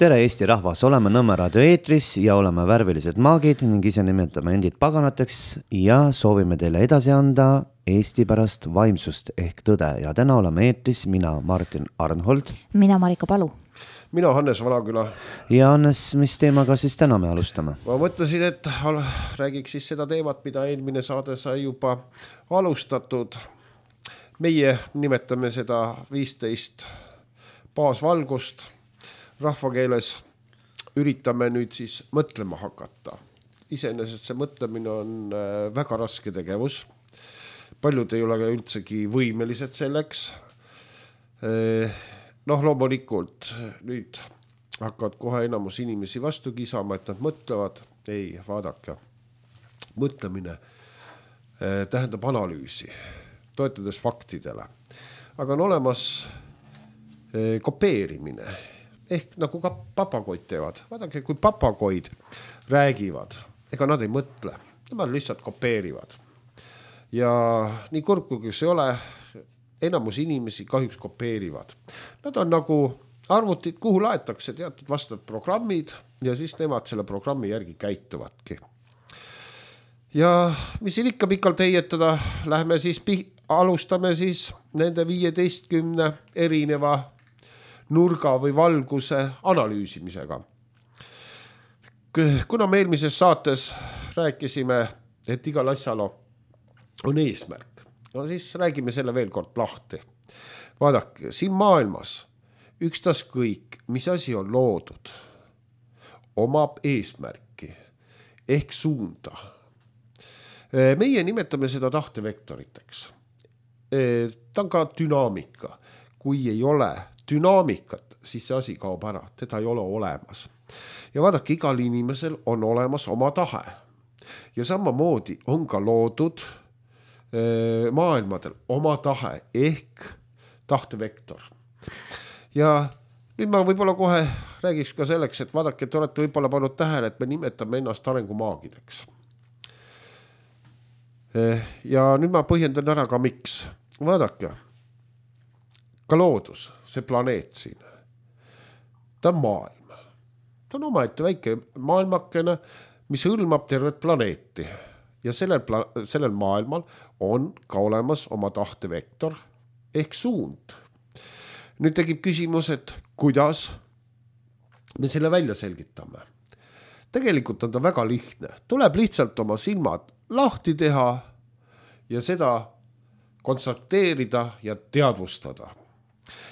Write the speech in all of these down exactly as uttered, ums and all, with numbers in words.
Tere Eesti rahvas, oleme Nõmme raadio eetris ja oleme värvilised maagid ning ise nimetame endid paganateks ja soovime teile edasi anda Eesti pärast vaimsust ehk tõde. Ja täna oleme eetris mina, Martin Arnhold. Mina, Marika Palu. Mina, Hannes Valaküla. Ja Hannes, mis teemaga siis täna me alustame? Ma mõtlesin, et räägiks siis seda teemat, mida eelmine saade sai juba alustatud. Meie nimetame seda viisteist baasvalgust. Rahvakeeles üritame nüüd siis mõtlema hakata. Iseenesest see mõtlemine on väga raske tegevus. Paljud ei ole üldsegi võimelised selleks. Noh, loomulikult nüüd hakkavad kohe enamus inimesi vastu kisama, et nad mõtlevad. Ei, vaadake. Mõtlemine tähendab analüüsi, toetades faktidele. Aga on olemas kopeerimine. Ehk nagu ka papagoid teevad. Vaadake, kui papagoid räägivad, ega nad ei mõtle. Nemad lihtsalt kopeerivad. Ja nii kurb kui see ole, enamus inimesi kahjuks kopeerivad. Nad on nagu arvutid, kuhu laetakse teatud vastavad programmid ja siis nemad selle programmi järgi käituvadki. Ja mis siin ikka pikalt heietada, lähme siis, alustame siis nende viieteistkümne erineva nurga või valguse analüüsimisega. Kuna me eelmises saates rääkisime, et igal asjal on eesmärk, no siis räägime selle veel kord lahti. Vaadake, siin maailmas ükstas kõik, mis asi on loodud, omab eesmärki ehk suunda. Meie nimetame seda tahtevektoriteks. Ta on ka dünaamika. Kui ei ole dünaamikat, siis see asi kaob ära, teda ei ole olemas. Ja vaadake, igal inimesel on olemas oma tahe. Ja samamoodi on ka loodud e, maailmadel oma tahe ehk tahtevektor. Ja nüüd ma võib-olla kohe räägiks ka selleks, et vaadake, et olete võib-olla pannud tähele, et me nimetame ennast arengumaagideks. E, ja nüüd ma põhjendan ära ka miks. Vaadake, ka loodus, see planeet siin, ta on maailm. Ta on omaette väike maailmakene, mis hõlmab tervet planeeti. Ja sellel, pla- sellel maailmal on ka olemas oma tahtevektor ehk suund. Nüüd tegib küsimus, et kuidas me selle välja selgitame. Tegelikult on ta väga lihtne. Tuleb lihtsalt oma silmad lahti teha ja seda konstateerida ja teadvustada.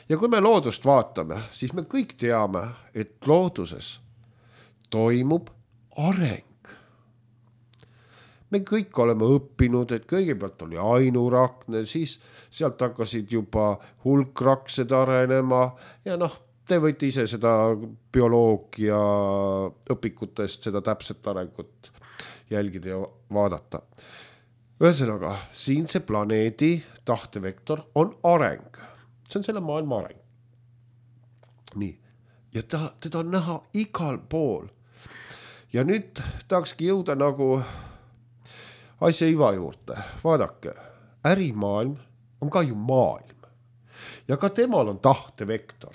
Ja kui me loodust vaatame, siis me kõik teame, et looduses toimub areng. Me kõik oleme õppinud, et kõigepealt oli ainurakne, siis sealt hakkasid juba hulkraksed arenema ja noh, te võite ise seda bioloogia õpikutest, seda täpset arengut jälgida ja vaadata. Ühesõnaga, siin see planeedi tahtevektor on areng. See on selle maailma areng. Nii. Ja ta, teda on näha igal pool. Ja nüüd tahakski jõuda nagu asja iva juurde. Vaadake, ärimaailm on ka ju maailm. Ja ka temal on tahtevektor.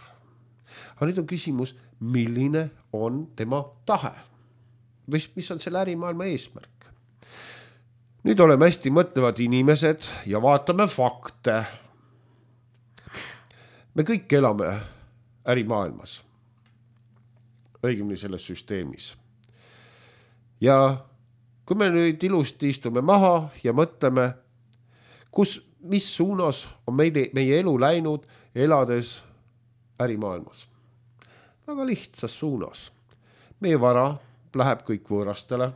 Aga nüüd on küsimus, milline on tema tahe? Mis, mis on selle ärimaailma eesmärk? Nüüd oleme hästi mõtlevad inimesed ja vaatame fakte. Me kõik elame ärimaailmas, õigemini selles süsteemis. Ja kui me nüüd ilusti istume maha ja mõtleme, kus, mis suunas on meie, meie elu läinud elades ärimaailmas. Väga lihtsas suunas. Meie vara läheb kõik võõrastele.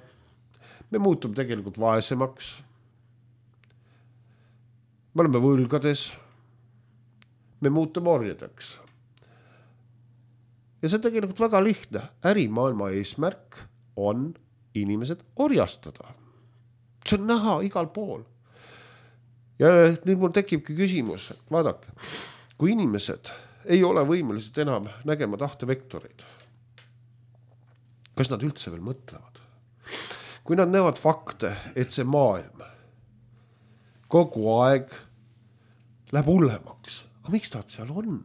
Me muutume tegelikult vaesemaks. Me oleme võlgades. Me muutume orjadeks. Ja see on tegelikult väga lihtne. Ärimaailma eesmärk on inimesed orjastada. See on näha igal pool. Ja nüüd mul tekibki küsimus, et vaadake, kui inimesed ei ole võimelised enam nägema tahtevektoreid, kas nad üldse veel mõtlevad? Kui nad näevad fakte, et see maailm kogu aeg läheb hullemaks, aga miks ta seal on?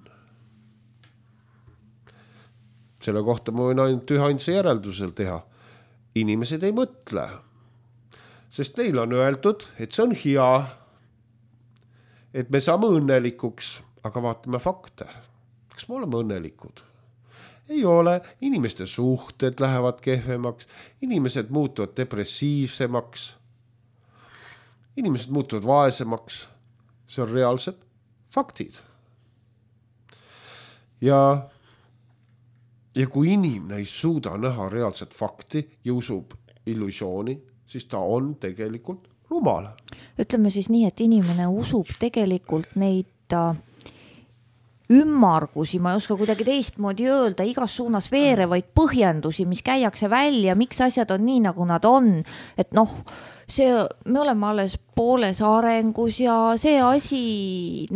Selle kohta ma võin ainult ühainsa järeldusel teha. Inimesed ei mõtle. Sest neil on öeldud, et see on hea, et me saame õnnelikuks, aga vaatame fakte. Kas me oleme õnnelikud? Ei ole. Inimeste suhted lähevad kehvemaks, inimesed muutuvad depressiivsemaks, inimesed muutuvad vaesemaks. See on reaalsed faktid. Ja, ja kui inimene ei suuda näha reaalset fakti ja usub illusiooni, siis ta on tegelikult rumal. Ütleme siis nii, et inimene usub tegelikult neid ümmargusi, ma ei oska kuidagi teistmoodi öelda, igas suunas veerevaid põhjendusi, mis käiakse välja, miks asjad on nii, nagu nad on. Et noh, see, me oleme alles pooles arengus ja see asi,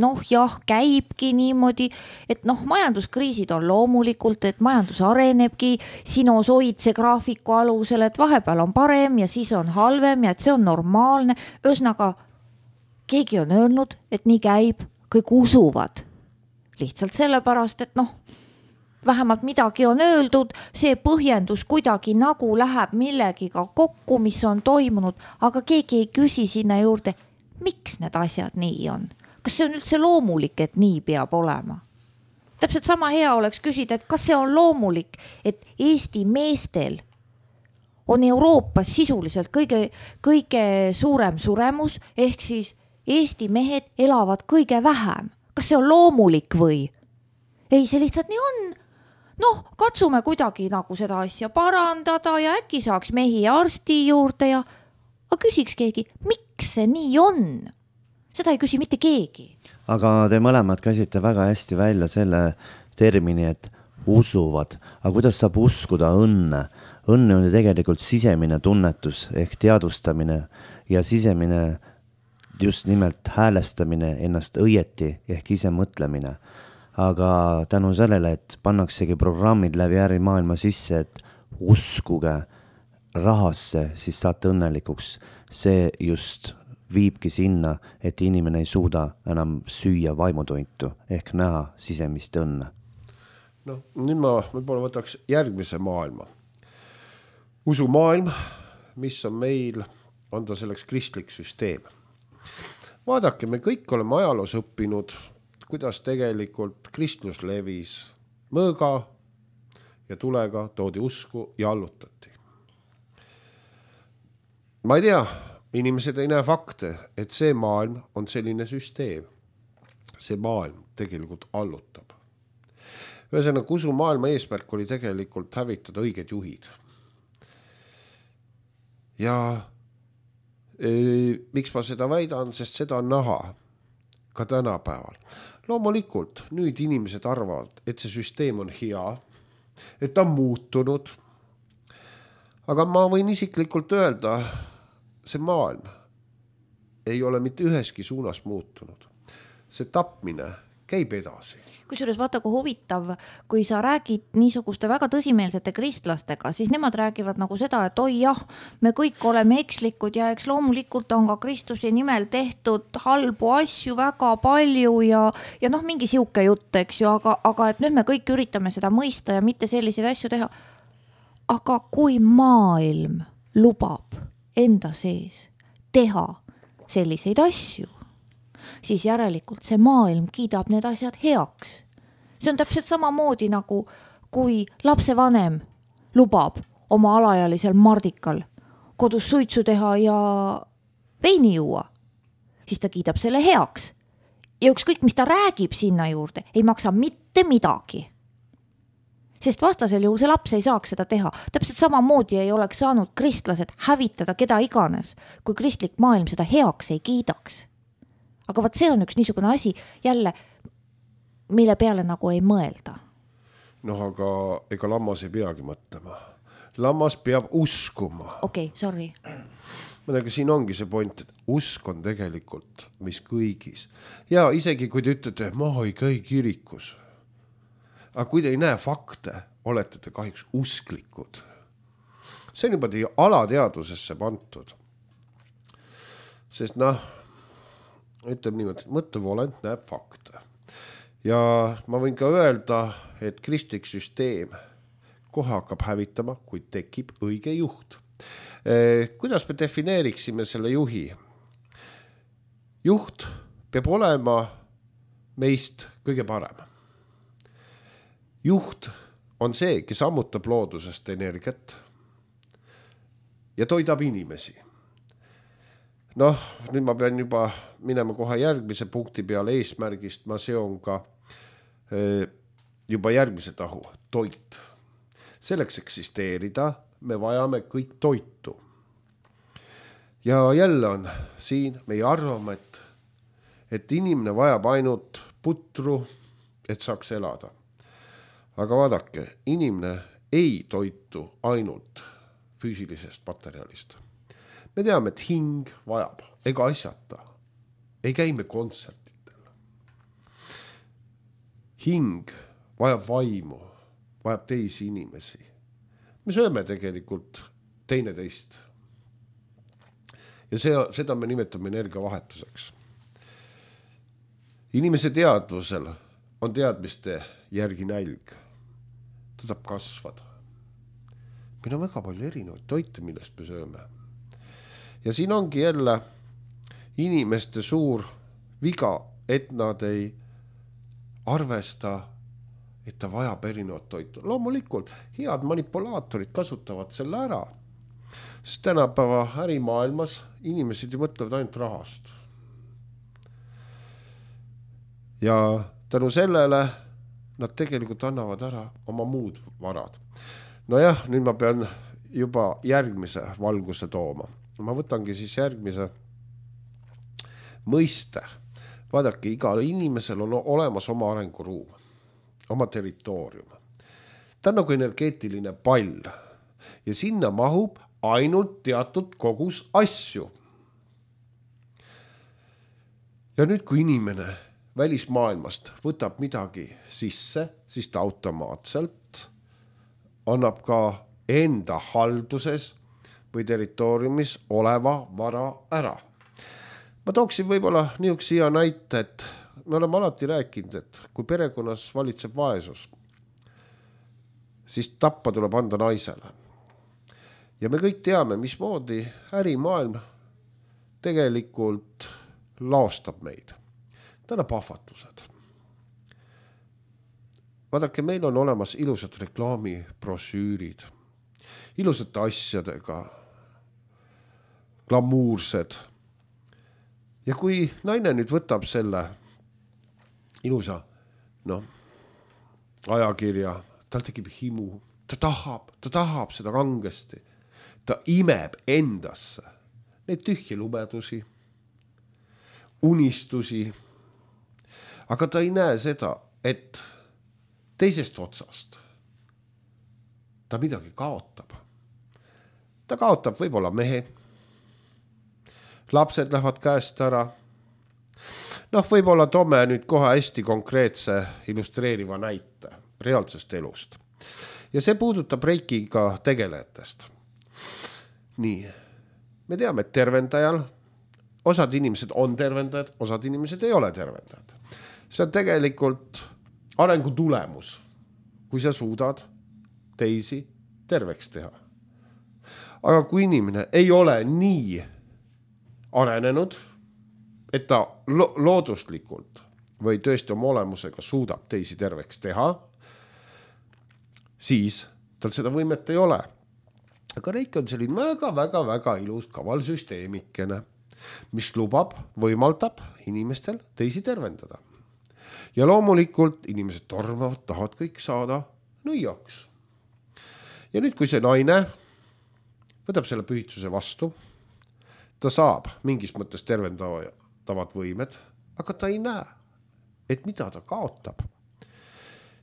noh jah, käibki niimoodi, et noh, majanduskriisid on loomulikult, et majandus arenebki sinusoidse graafiku alusel, et vahepeal on parem ja siis on halvem ja et see on normaalne. Ühesõnaga, keegi on öelnud, et nii käib, kõik usuvad. Lihtsalt sellepärast, et noh, vähemalt midagi on öeldud, see põhjendus kuidagi nagu läheb millegiga kokku, mis on toimunud, aga keegi ei küsi sinna juurde, miks need asjad nii on? Kas see on üldse loomulik, et nii peab olema? Täpselt sama hea oleks küsida, et kas see on loomulik, et Eesti meestel on Euroopas sisuliselt kõige, kõige suurem suremus, ehk siis Eesti mehed elavad kõige vähem. Kas see on loomulik või? Ei, see lihtsalt nii on. Noh, katsume kuidagi nagu seda asja parandada ja äkki saaks mehi arsti juurde ja aga küsiks keegi, miks see nii on? Seda ei küsi mitte keegi. Aga te mõlemad käsite väga hästi välja selle termini, et usuvad. Aga kuidas saab uskuda õnne? Õnne on ju tegelikult sisemine tunnetus ehk teadvustamine ja sisemine just nimelt häälestamine ennast õieti ehk ise mõtlemine. Aga tänu sellele, et pannaksegi programmid läbi ärimaailma sisse, et uskuge rahasse, siis saate õnnelikuks. See just viibki sinna, et inimene ei suuda enam süüa vaimutointu ehk näha sisemist õnne. No, nüüd ma võib-olla võtaks järgmise maailma. Usumaailm, mis on meil, on ta selleks kristlik süsteem. Vaadake, me kõik oleme ajaloos õppinud, kuidas tegelikult kristlus levis mõõga ja tulega toodi usku ja allutati. Ma ei tea, inimesed ei näe fakte, et see maailm on selline süsteem. See maailm tegelikult allutab. Ühesõnaga, usumaailma eesmärk oli tegelikult hävitada õiged juhid. Ja miks ma seda väidan, sest seda on näha ka tänapäeval. Loomulikult, nüüd inimesed arvavad, et see süsteem on hea, et ta on muutunud. Aga ma võin isiklikult öelda, see maailm ei ole mitte üheski suunas muutunud. See tapmine käib edasi. Kusjuures vaata, kui huvitav, kui sa räägid niisuguste väga tõsimeelsete kristlastega, siis nemad räägivad nagu seda, et oi jah, me kõik oleme ekslikud ja eks loomulikult on ka Kristuse nimel tehtud halbu asju väga palju ja, ja noh, mingi siuke jutt, eks ju, aga, aga et nüüd me kõik üritame seda mõista ja mitte selliseid asju teha. Aga kui maailm lubab enda sees teha selliseid asju, siis järelikult see maailm kiidab need asjad heaks. See on täpselt samamoodi nagu, kui lapsevanem lubab oma alaealisel Mardikal kodus suitsu teha ja veini juua, siis ta kiidab selle heaks. Ja ükskõik, mis ta räägib sinna juurde, ei maksa mitte midagi. Sest vastasel juhul see laps ei saaks seda teha. Täpselt samamoodi ei oleks saanud kristlased hävitada keda iganes, kui kristlik maailm seda heaks ei kiidaks. Aga vaat see on üks niisugune asi jälle, mille peale nagu ei mõelda. Noh, aga ega lammas ei peagi mõtlema. Lammas peab uskuma. Okei, okay, sorry. Mõnega siin ongi see point, et usk on tegelikult mis kõigis. Ja isegi kui te ütlete, ma ei käi kirikus. Aga kui te ei näe fakte, olete te kahjuks usklikud. See on juba teie alateadvusesse pantud. Sest noh, ütleb niimoodi, mõttevolent näeb fakte. Ja ma võin ka öelda, et kristlik süsteem kohe hakkab hävitama, kui tekib õige juht. Kuidas me defineeriksime selle juhi? Juht peab olema meist kõige parem. Juht on see, kes ammutab loodusest energiat ja toidab inimesi. Noh, nüüd ma pean juba minema kohe järgmise punkti peale eesmärgist, ma seon ka juba järgmise tahu, toit. Selleks eksisteerida me vajame kõik toitu. Ja jälle on siin meie arvame, et, et inimene vajab ainult putru, et saaks elada. Aga vaadake, inimene ei toitu ainult füüsilisest materjalist. Me teame, et hing vajab, ega asjata. Ei käime kontsertitel. Hing vajab vaimu, vajab teisi inimesi. Me sööme tegelikult teine teist. Ja see, seda me nimetame energiavahetuseks. Inimese teadvusel on teadmiste järgi nälg. Ta tahab kasvada. Meil on väga palju erinevaid toite, millest me sööme. Ja siin ongi jälle inimeste suur viga, et nad ei arvesta, et ta vajab erinevat toitu. Loomulikult, head manipulaatorid kasutavad selle ära. Sest tänapäeva ärimaailmas inimesed ju mõtlevad ainult rahast. Ja tänu sellele nad tegelikult annavad ära oma muud varad. No jah, nüüd ma pean juba järgmise valguse tooma. Ma võtangi siis järgmise mõiste. Vaadake, igal inimesel on olemas oma arenguruum, oma territoorium. Ta on nagu energeetiline pall ja sinna mahub ainult teatud kogus asju. Ja nüüd, kui inimene välismaailmast võtab midagi sisse, siis ta automaatselt annab ka enda halduses või territooriumis oleva vara ära. Ma tooksin võib-olla niisuguse hea näite, et me oleme alati rääkinud, et kui perekonnas valitseb vaesus, siis tappa tuleb anda naisele. Ja me kõik teame, mismoodi ärimaailm tegelikult laostab meid. Ta annab ahvatlused. Vaadake, meil on olemas ilusad reklaamibrosüürid, ilusate asjadega, glamuursed. Ja kui naine nüüd võtab selle ilusa no, ajakirja, tal tekib himu, ta tahab, ta tahab seda kangesti. Ta imeb endasse neid tühje lumedusi, unistusi, aga ta ei näe seda, et teisest otsast ta midagi kaotab. Ta kaotab võib-olla mehe, lapsed lähevad käest ära. Noh, võib-olla toome nüüd kohe hästi konkreetse illustreeriva näite reaalsest elust. Ja see puudutab reikiga tegelejatest. Nii, me teame, et tervendajal osad inimesed on tervendajad, osad inimesed ei ole tervendajad. See on tegelikult arengu tulemus, kui sa suudad teisi terveks teha. Aga kui inimene ei ole nii arenenud, et ta lo- looduslikult või tõesti oma olemusega suudab teisi terveks teha, siis tal seda võimet ei ole. Aga reik on selline väga-väga-väga ilus kavalsüsteemikene, mis lubab, võimaldab inimestel teisi tervendada. Ja loomulikult inimesed tormavad, tahavad kõik saada nõiaks. Ja nüüd, kui see naine võtab selle pühitsuse vastu, ta saab mingis mõttes tervendavad võimed, aga ta ei näe, et mida ta kaotab.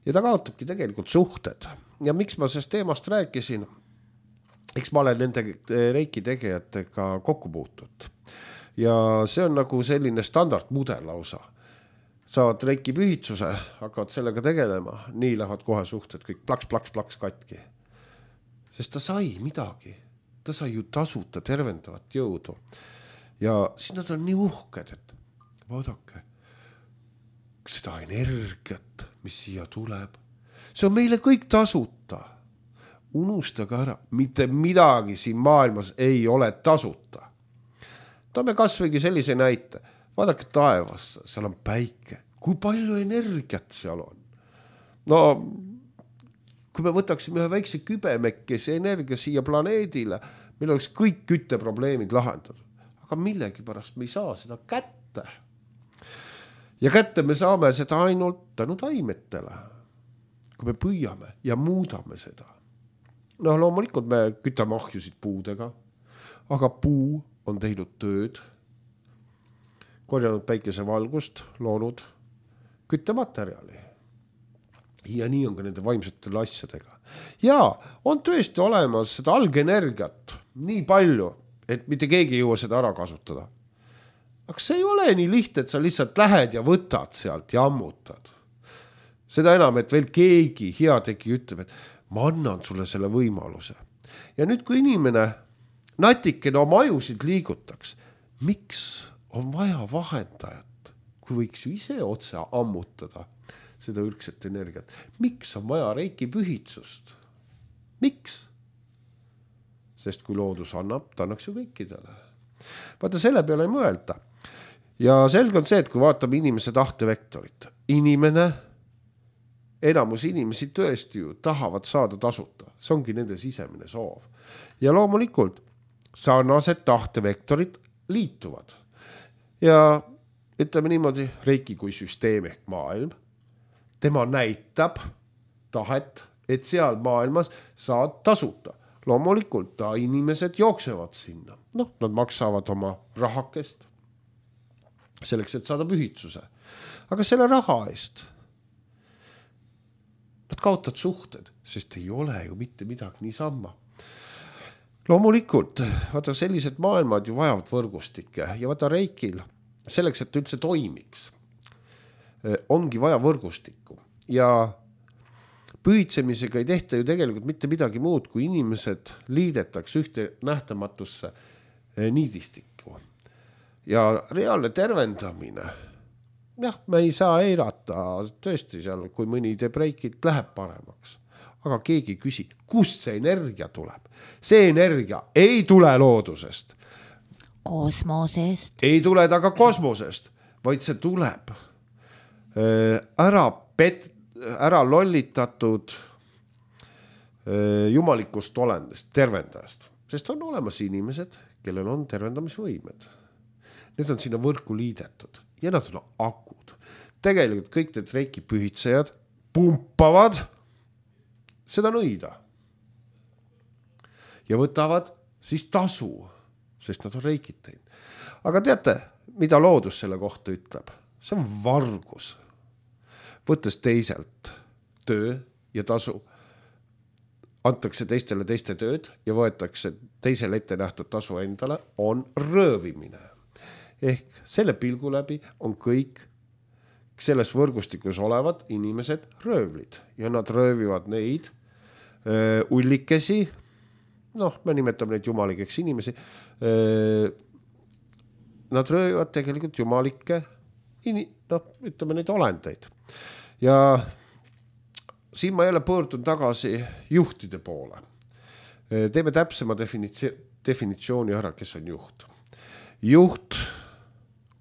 Ja ta kaotabki tegelikult suhted. Ja miks ma sellest teemast rääkisin? Eks ma olen nende reiki tegijatega kokku puutud. Ja see on nagu selline standardmudel lausa. Saavad reiki pühitsuse, hakkavad sellega tegelema, nii lähevad kohe suhted, kõik plaks, plaks, plaks katki. Sest ta sai midagi. Ta sai ju tasuta tervendavat jõudu. Ja siis nad on nii uhked, et vaadake, seda energiat, mis siia tuleb, see on meile kõik tasuta. unustage ära, mitte midagi siin maailmas ei ole tasuta. Toome kasvõigi sellise näite. Vaadake taevas, seal on päike. Kui palju energiat seal on? No, kui me võtaksime ühe väikse kübemekese energia siia planeedile, meil oleks kõik kütteprobleemid lahendatud. Aga millegi pärast me ei saa seda kätte. Ja kätte me saame seda ainult tänu taimetele, kui me püüame ja muudame seda. No loomulikult me kütame ahjusid puudega, aga puu on teinud tööd, korjanud päikesevalgust, loonud küttematerjali. Ja nii on ka nende vaimsetele asjadega. Ja on tõesti olemas seda algenergiat nii palju, et mitte keegi ei jõua seda ära kasutada. Aga see ei ole nii lihtne, et sa lihtsalt lähed ja võtad sealt ja ammutad. Seda enam, et veel keegi heategi ütleb, et ma annan sulle selle võimaluse. Ja nüüd, kui inimene natikene oma ajusid liigutaks, miks on vaja vahendajat, kui võiks ju ise otse ammutada seda ürgset energiat? Miks on vaja reiki pühitsust? Miks? Sest kui loodus annab, ta annaks ju kõikidele. Vaata, selle peale ei mõelda. Ja selge on see, et kui vaatame inimese tahtevektorit, inimene, enamus inimesi tõesti ju tahavad saada tasuta. See ongi nende sisemine soov. Ja loomulikult sarnased tahtevektorid liituvad. Ja ütleme niimoodi, reiki kui süsteem ehk maailm, tema näitab tahet, et seal maailmas saad tasuta. Loomulikult ta inimesed jooksevad sinna. Noh, nad maksavad oma rahakest selleks, et saada pühitsuse. Aga selle raha eest nad kaotavad suhted, sest ei ole ju mitte midagi niisama. Loomulikult, vaata sellised maailmad ju vajavad võrgustikke ja vaata reikil, selleks, et üldse toimiks, ongi vaja võrgustikku. Ja pühitsemisega ei tehta ju tegelikult mitte midagi muud, kui inimesed liidetaks ühte nähtamatusse niidistikku. Ja reaalne tervendamine, jah, me ei saa eirata tõesti seal, kui mõni teeb reikit, läheb paremaks. Aga keegi küsi, kust see energia tuleb? See energia ei tule loodusest. Kosmosest. Ei tule ta ka kosmosest, vaid see tuleb ära, pet, ära lollitatud jumalikust olendest, tervendajast. Sest on olemas inimesed, kellel on tervendamisvõimed. Need on sinna võrku liidetud ja nad on akud. Tegelikult kõik need reiki pühitsejad pumpavad seda nõida ja võtavad siis tasu, sest nad on reikid teinud. Aga teate, mida loodus selle kohta ütleb? See on vargus. Võttes teiselt töö ja tasu, antakse teistele teiste tööd ja võetakse teisele ette nähtud tasu endale, on röövimine. Ehk selle pilgu läbi on kõik selles võrgustikus olevad inimesed röövlid ja nad röövivad neid öö, ullikesi, noh, me nimetame neid jumalikeks inimesi, öö, nad röövivad tegelikult jumalikke, noh, ütleme neid olendeid. Ja siin ma jälle pöördun tagasi juhtide poole. Teeme täpsema definitsi- definitsiooni ära, kes on juht. Juht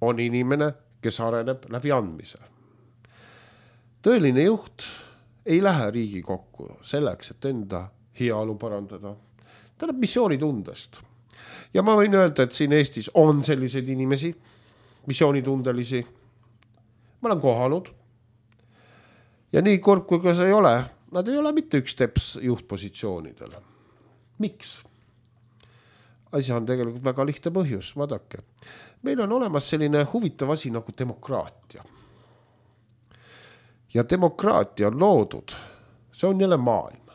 on inimene, kes areneb läbi andmise. Tõeline juht ei lähe riigi kokku selleks, et enda heaolu parandada. Ta läheb missioonitundest. Ja ma võin öelda, et siin Eestis on selliseid inimesi, missioonitundelisi. Ma olen kohanud. Ja nii kurb, kui ka see ei ole, nad ei ole mitte üks teps juhtpositsioonidel. Miks? Asja on tegelikult väga lihtne põhjus, vaadake. Meil on olemas selline huvitav asi nagu demokraatia. Ja demokraatia on loodud, see on jälle maailm,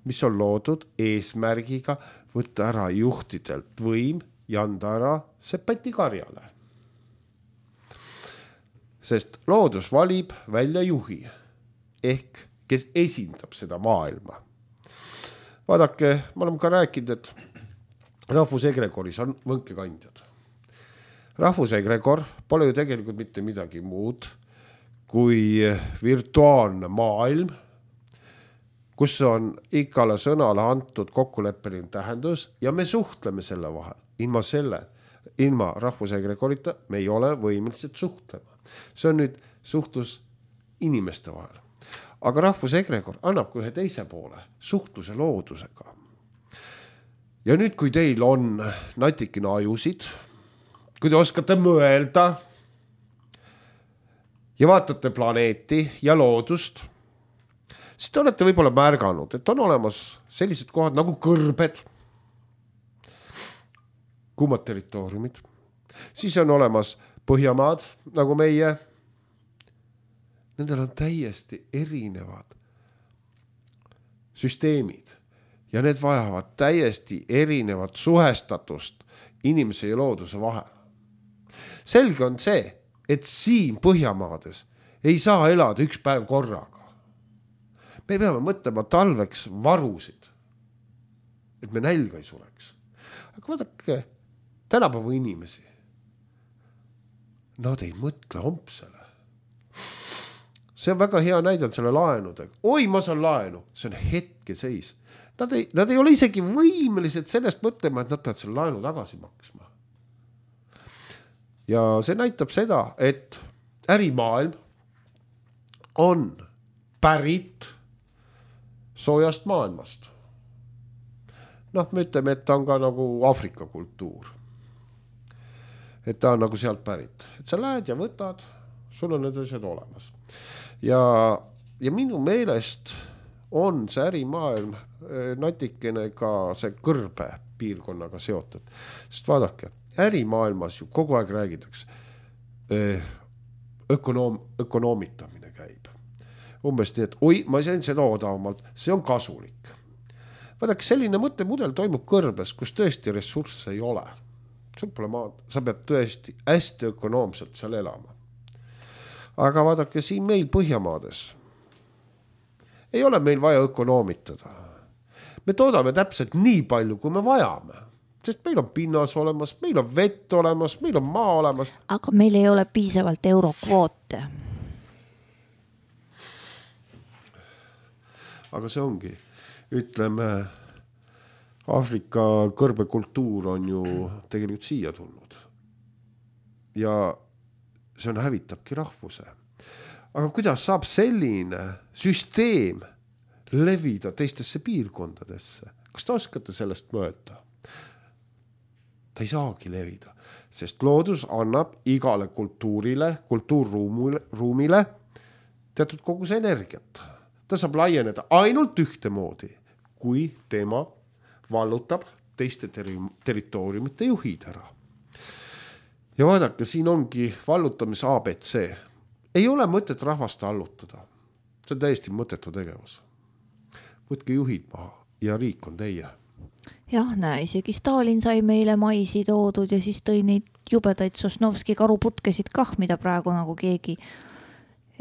mis on loodud eesmärgiga võtta ära juhtidelt võim ja anda ära see pätikarjale. Sest loodus valib välja juhi, ehk kes esindab seda maailma. Vaadake, ma olen ka rääkinud, et rahvusegregoris on võnkekandjad. Rahvusegregor pole ju tegelikult mitte midagi muud kui virtuaalne maailm, kus on igale sõnale antud kokkuleppeline tähendus ja me suhtleme selle vahel. Ilma selle, ilma rahvusegregorita me ei ole võimelised suhtlema. See on nüüd suhtlus inimeste vahel. Aga rahvusegregor annab ka ühe teise poole, suhtluse loodusega. Ja nüüd, kui teil on natikene ajusid, kui te oskate mõelda ja vaatate planeeti ja loodust, siis te olete võib-olla märganud, et on olemas sellised kohad nagu kõrbed, kuumad territooriumid, siis on olemas Põhjamaad nagu meie. Nendel on täiesti erinevad süsteemid ja need vajavad täiesti erinevat suhestatust inimese ja looduse vahel. Selge on see, et siin Põhjamaades ei saa elada üks päev korraga. Me peame mõtlema talveks varusid, et me nälga ei sureks. Aga vaadake, tänapäeva inimesi, nad ei mõtle hompsele. See on väga hea näidanud selle laenudega. Oi, ma saan laenu, see on hetke seis. Nad ei, nad ei ole isegi võimelised sellest mõtlema, et nad peavad selle laenu tagasi maksma. Ja see näitab seda, et ärimaailm on pärit soojast maailmast. Noh, me ütleme, et ta on ka nagu Aafrika kultuur. Et ta on nagu sealt pärit. Et sa lähed ja võtad, sul on need asjad olemas. Ja, ja minu meelest on see ärimaailm natikene ka see kõrbe piirkonnaga seotud. Sest vaadake, ärimaailmas ju kogu aeg räägitakse, ökonoom, ökonoomitamine käib. Umbes nii, et oi, ma sain seda odavamalt, see on kasulik. Vaadake, selline mõttemudel toimub kõrbes, kus tõesti ressursse ei ole. Sul pole maad, sa pead tõesti hästi ökonoomselt seal elama. Aga vaadake, siin meil Põhjamaades ei ole meil vaja ökonoomitada. Me toodame täpselt nii palju, kui me vajame. Sest meil on pinnas olemas, meil on vett olemas, meil on maa olemas. Aga meil ei ole piisavalt eurokvoote. Aga see ongi, ütleme, Aafrika kõrbekultuur on ju tegelikult siia tulnud. Ja see on hävitabki rahvuse. Aga kuidas saab selline süsteem levida teistesse piirkondadesse? Kas te oskate sellest mõelda? Ta ei saagi levida, sest loodus annab igale kultuurile, kultuurruumile teatud kogus energiat. Ta saab laieneda ainult ühte moodi, kui tema vallutab teiste ter- territooriumite juhid ära. Ja vaadake, siin ongi vallutamise A B C. Ei ole mõtet rahvast allutada. See on täiesti mõttetu tegevus. Võtke juhid maha ja riik on teie. Jah, näe, isegi Stalin sai meile maisi toodud ja siis tõi neid jubedaid Sosnovski karuputkesid kah, mida praegu nagu keegi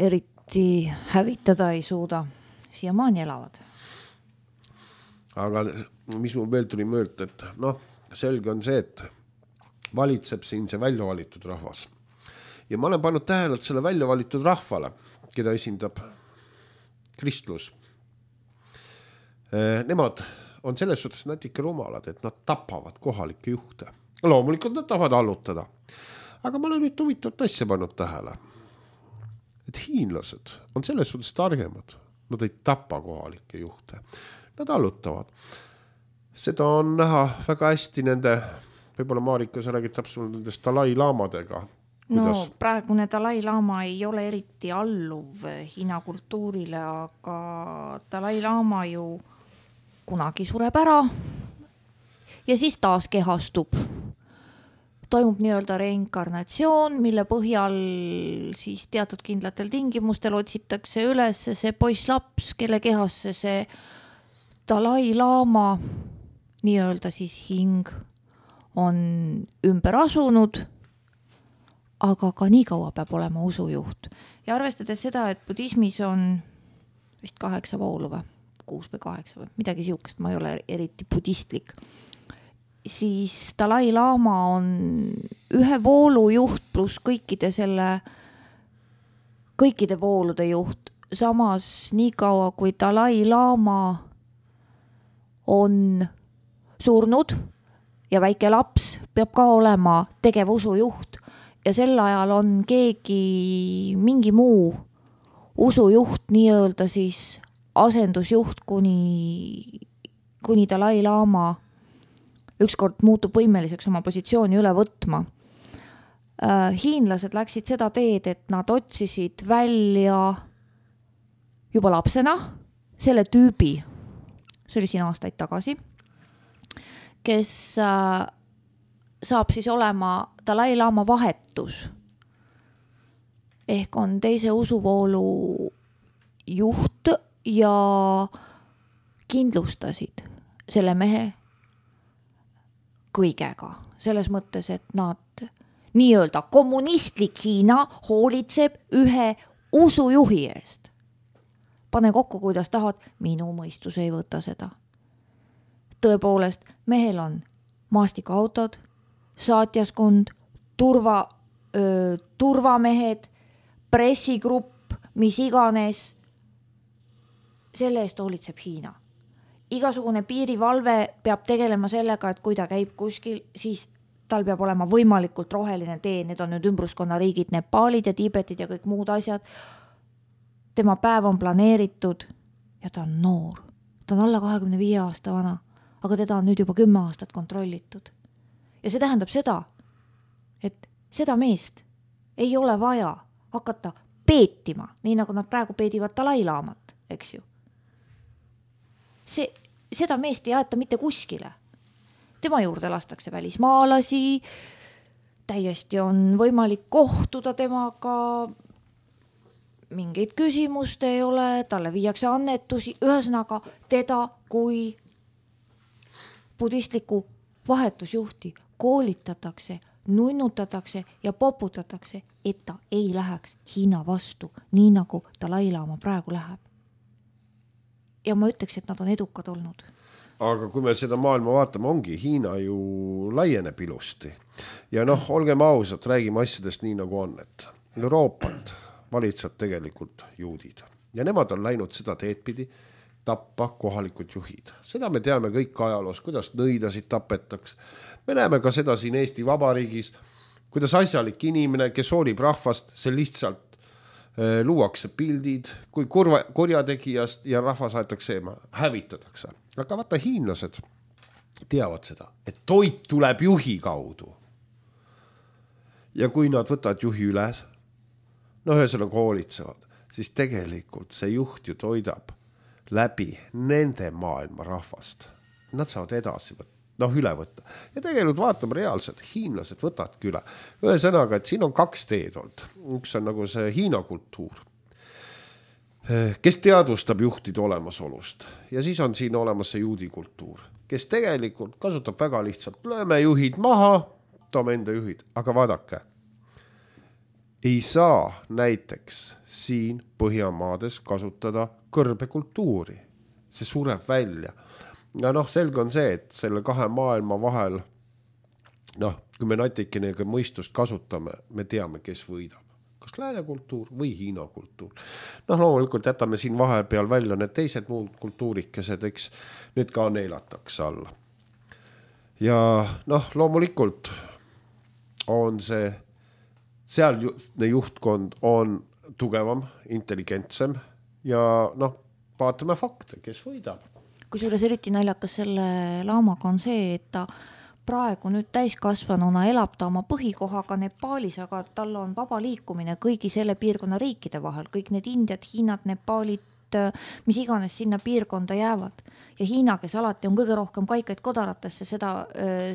eriti hävitada ei suuda. Siiamaani elavad. Aga mis mu veel tuli mõelda, et noh, selge on see, et valitseb siin see välja valitud rahvas. Ja ma olen pannud tähele, et selle välja valitud rahvale, keda esindab kristlus, nemad on selles suhtes natuke rumalad, et nad tapavad kohalikke juhte. Loomulikult nad tahavad allutada. Aga ma olen nüüd huvitavat asja pannud tähele, et hiinlased on selles suhtes targemad. Nad ei tapa kohalikke juhte. Nad allutavad. Seda on näha väga hästi nende, võib-olla Marika, sa räägid täpselt nendest Dalai laamadega. Kuidas? No praegune Dalai laama ei ole eriti alluv Hiina kultuurile, aga Dalai laama ju kunagi sureb ära ja siis taas kehastub. Toimub nii-öelda reinkarnatsioon, mille põhjal siis teatud kindlatel tingimustel otsitakse üles see poisslaps, kelle kehasse see Dalai laama nii-öelda siis hing on ümber asunud, aga ka nii kaua peab olema usujuht. Ja arvestades seda, et budismis on vist kaheksa voolu või, kuus või kaheksa või midagi siukest, ma ei ole eriti budistlik, siis Dalai laama on ühe voolu juht pluss kõikide selle, kõikide voolude juht. samas nii kaua, kui Dalai Lama on surnud ja väike laps peab ka olema tegevusujuht ja sel ajal on keegi mingi muu usujuht, nii-öelda siis asendusjuht, kuni, kuni Dalai Lama ükskord muutub võimeliseks oma positsiooni üle võtma. Hiinlased läksid seda teed, et nad otsisid välja juba lapsena selle tüübi, see oli siin aastaid tagasi, kes saab siis olema Dalai Lama vahetus. Ehk on teise usuvoolu juht ja kindlustasid selle mehe kõigega. Selles mõttes, et nad nii-öelda kommunistlik Hiina hoolitseb ühe usujuhi eest. Pane kokku, kuidas tahad, minu mõistus ei võta seda. Tõepoolest, mehel on maastikuautod, saatjaskond, turva, öö, turvamehed, pressigrupp, mis iganes. Selle eest hoolitseb Hiina. Igasugune piirivalve peab tegelema sellega, et kui ta käib kuskil, siis tal peab olema võimalikult roheline tee. Need on nüüd ümbruskonna riigid, Nepaalid ja Tiibetid ja kõik muud asjad. Tema päev on planeeritud ja ta on noor. Ta on alla kahekümne viie aasta vana, aga teda on nüüd juba kümme aastat kontrollitud. Ja see tähendab seda, et seda meest ei ole vaja hakata peetima, nii nagu nad praegu peedivad Dalai Lamat, eks ju. See, seda meest ei aeta mitte kuskile. Tema juurde lastakse välismaalasi, täiesti on võimalik kohtuda temaga, mingeid küsimust ei ole, talle viiakse annetusi, ühesõnaga teda kui budistliku vahetusjuhti koolitatakse, nunnutatakse ja poputatakse, et ta ei läheks Hiina vastu, nii nagu Dalai Lama praegu läheb. Ja ma ütleks, et nad on edukad olnud. Aga kui me seda maailma vaatame, ongi Hiina ju laieneb ilusti. Ja noh, olgem ausad, räägime asjadest nii nagu on, et Euroopat valitseb tegelikult juudid. Ja nemad on läinud seda teedpidi tappa kohalikud juhid. Seda me teame kõik ajaloos, kuidas nõidasid tapetaks. Me näeme ka seda siin Eesti Vabariigis, kuidas asjalik inimene, kes hoolib rahvast, see lihtsalt äh, luuakse pildid, kui kurva, kurjategijast ja rahvas aetakse eema, hävitatakse. Aga vaata, hiinlased teavad seda, et toit tuleb juhi kaudu. Ja kui nad võtavad juhi üles, no ühesõnaga hoolitsevad, siis tegelikult see juht ju toidab läbi nende maailma rahvast. Nad saavad edasi võtta, noh üle võtta. Ja tegelikult vaatame reaalselt, hiinlased võtavadki üle. Ühesõnaga, et siin on kaks teed olnud. Üks on nagu see Hiina kultuur, kes teadvustab juhtide olemasolust. Ja siis on siin olemas see juudi kultuur, kes tegelikult kasutab väga lihtsalt. Lööme juhid maha, toome enda juhid. Aga vaadake, ei saa näiteks siin Põhjamaades kasutada kõrbekultuuri. See sureb välja. Ja noh, selge on see, et selle kahe maailma vahel, noh, kui me natikenega mõistust kasutame, me teame, kes võidab. Kas lääne kultuur või Hiina kultuur. Noh, loomulikult jätame siin vahepeal välja need teised muud kultuurikesed, eks need ka neelatakse alla. Ja noh, loomulikult on see, seal juhtkond on tugevam, intelligentsem ja noh, vaatame fakte, kes võidab. Kusjuures eriti naljakas selle laamaga on see, et ta praegu nüüd täiskasvanuna elab ta oma põhikohaga Nepaalis, aga tal on vaba liikumine kõigi selle piirkonna riikide vahel. Kõik need Indiad, Hiinad, Nepaalit, mis iganes sinna piirkonda jäävad. Ja Hiina, kes alati on kõige rohkem kaikaid kodaratesse seda,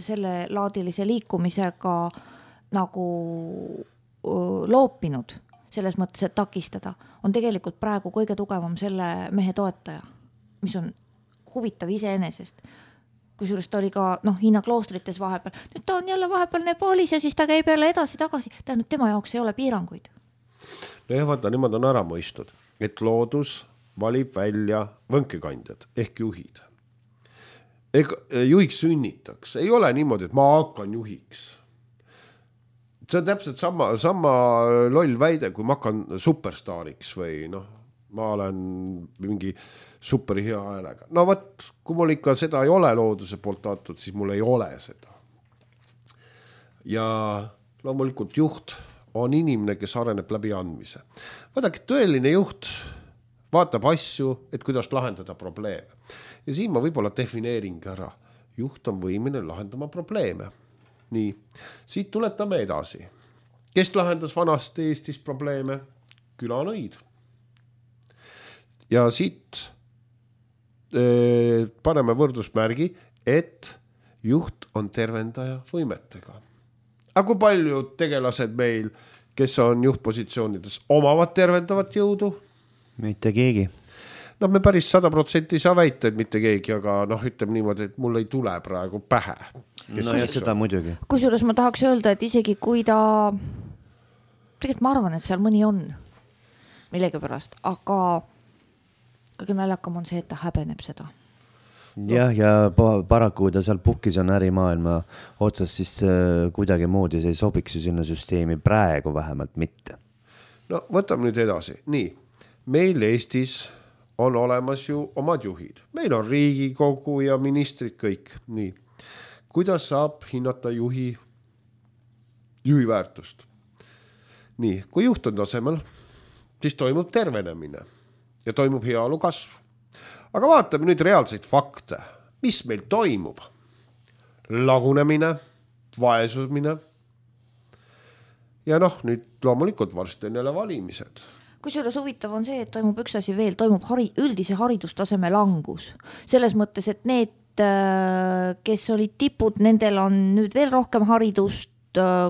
selle laadilise liikumisega nagu loopinud, selles mõttes, et takistada, on tegelikult praegu kõige tugevam selle mehe toetaja, mis on huvitav iseenesest. Kusjuures ta oli ka noh, Hiina kloostrites vahepeal. Nüüd ta on jälle vahepeal Nepaalis ja siis ta käib jälle edasi-tagasi. Tähendab, tema jaoks ei ole piiranguid. No jah, vaata, nemad on ära mõistnud, et loodus valib välja võnkekandjad ehk juhid. Ega, juhiks sünnitaks. Ei ole niimoodi, et ma hakkan juhiks. See on täpselt sama, sama loll väide, kui ma hakkan superstaariks või noh, ma olen mingi super hea häälega. No võt, kui mul ikka seda ei ole looduse poolt antud, siis mul ei ole seda. Ja loomulikult juht on inimene, kes areneb läbi andmise. Vaadake, tõeline juht vaatab asju, et kuidas lahendada probleeme. Ja siin ma võib-olla defineerin ära. Juht on võimeline lahendama probleeme. Nii, siit tuletame edasi. Kes lahendas vanasti Eestis probleeme? Külanõid. Ja siit äh, paneme võrdusmärgi, et juht on tervendaja võimetega. Aga kui palju tegelased meil, kes on juhtpositsioonides, omavad tervendavat jõudu? Mitte keegi. No me päris sada protsenti ei saa väita, et mitte keegi, aga noh, ütleme niimoodi, et mul ei tule praegu pähe. No ja seda muidugi. Kusjuures ma tahaks öelda, et isegi kui ta, tegelikult ma arvan, et seal mõni on millegi pärast, aga kõige naljakam on see, et ta häbeneb seda. Jah, ja paraku ta seal pukis on ärimaailma otsas, siis kuidagi moodi see ei sobiks ju sinna süsteemi praegu vähemalt mitte. No võtame nüüd edasi. Nii, meil Eestis on olemas ju omad juhid. Meil on Riigikogu ja ministrid kõik. Nii, kuidas saab hinnata juhi, juhi väärtust? Nii, kui juht on tasemel, siis toimub tervenemine ja toimub heaolu kasv. Aga vaatame nüüd reaalseid fakte. Mis meil toimub? Lagunemine, vaesumine. Ja noh, nüüd loomulikult varsti on jälle valimised. Kusjuures huvitav on see, et toimub üks asi veel, toimub hari, üldise haridustaseme langus. Selles mõttes, et need, kes olid tipud, nendel on nüüd veel rohkem haridust,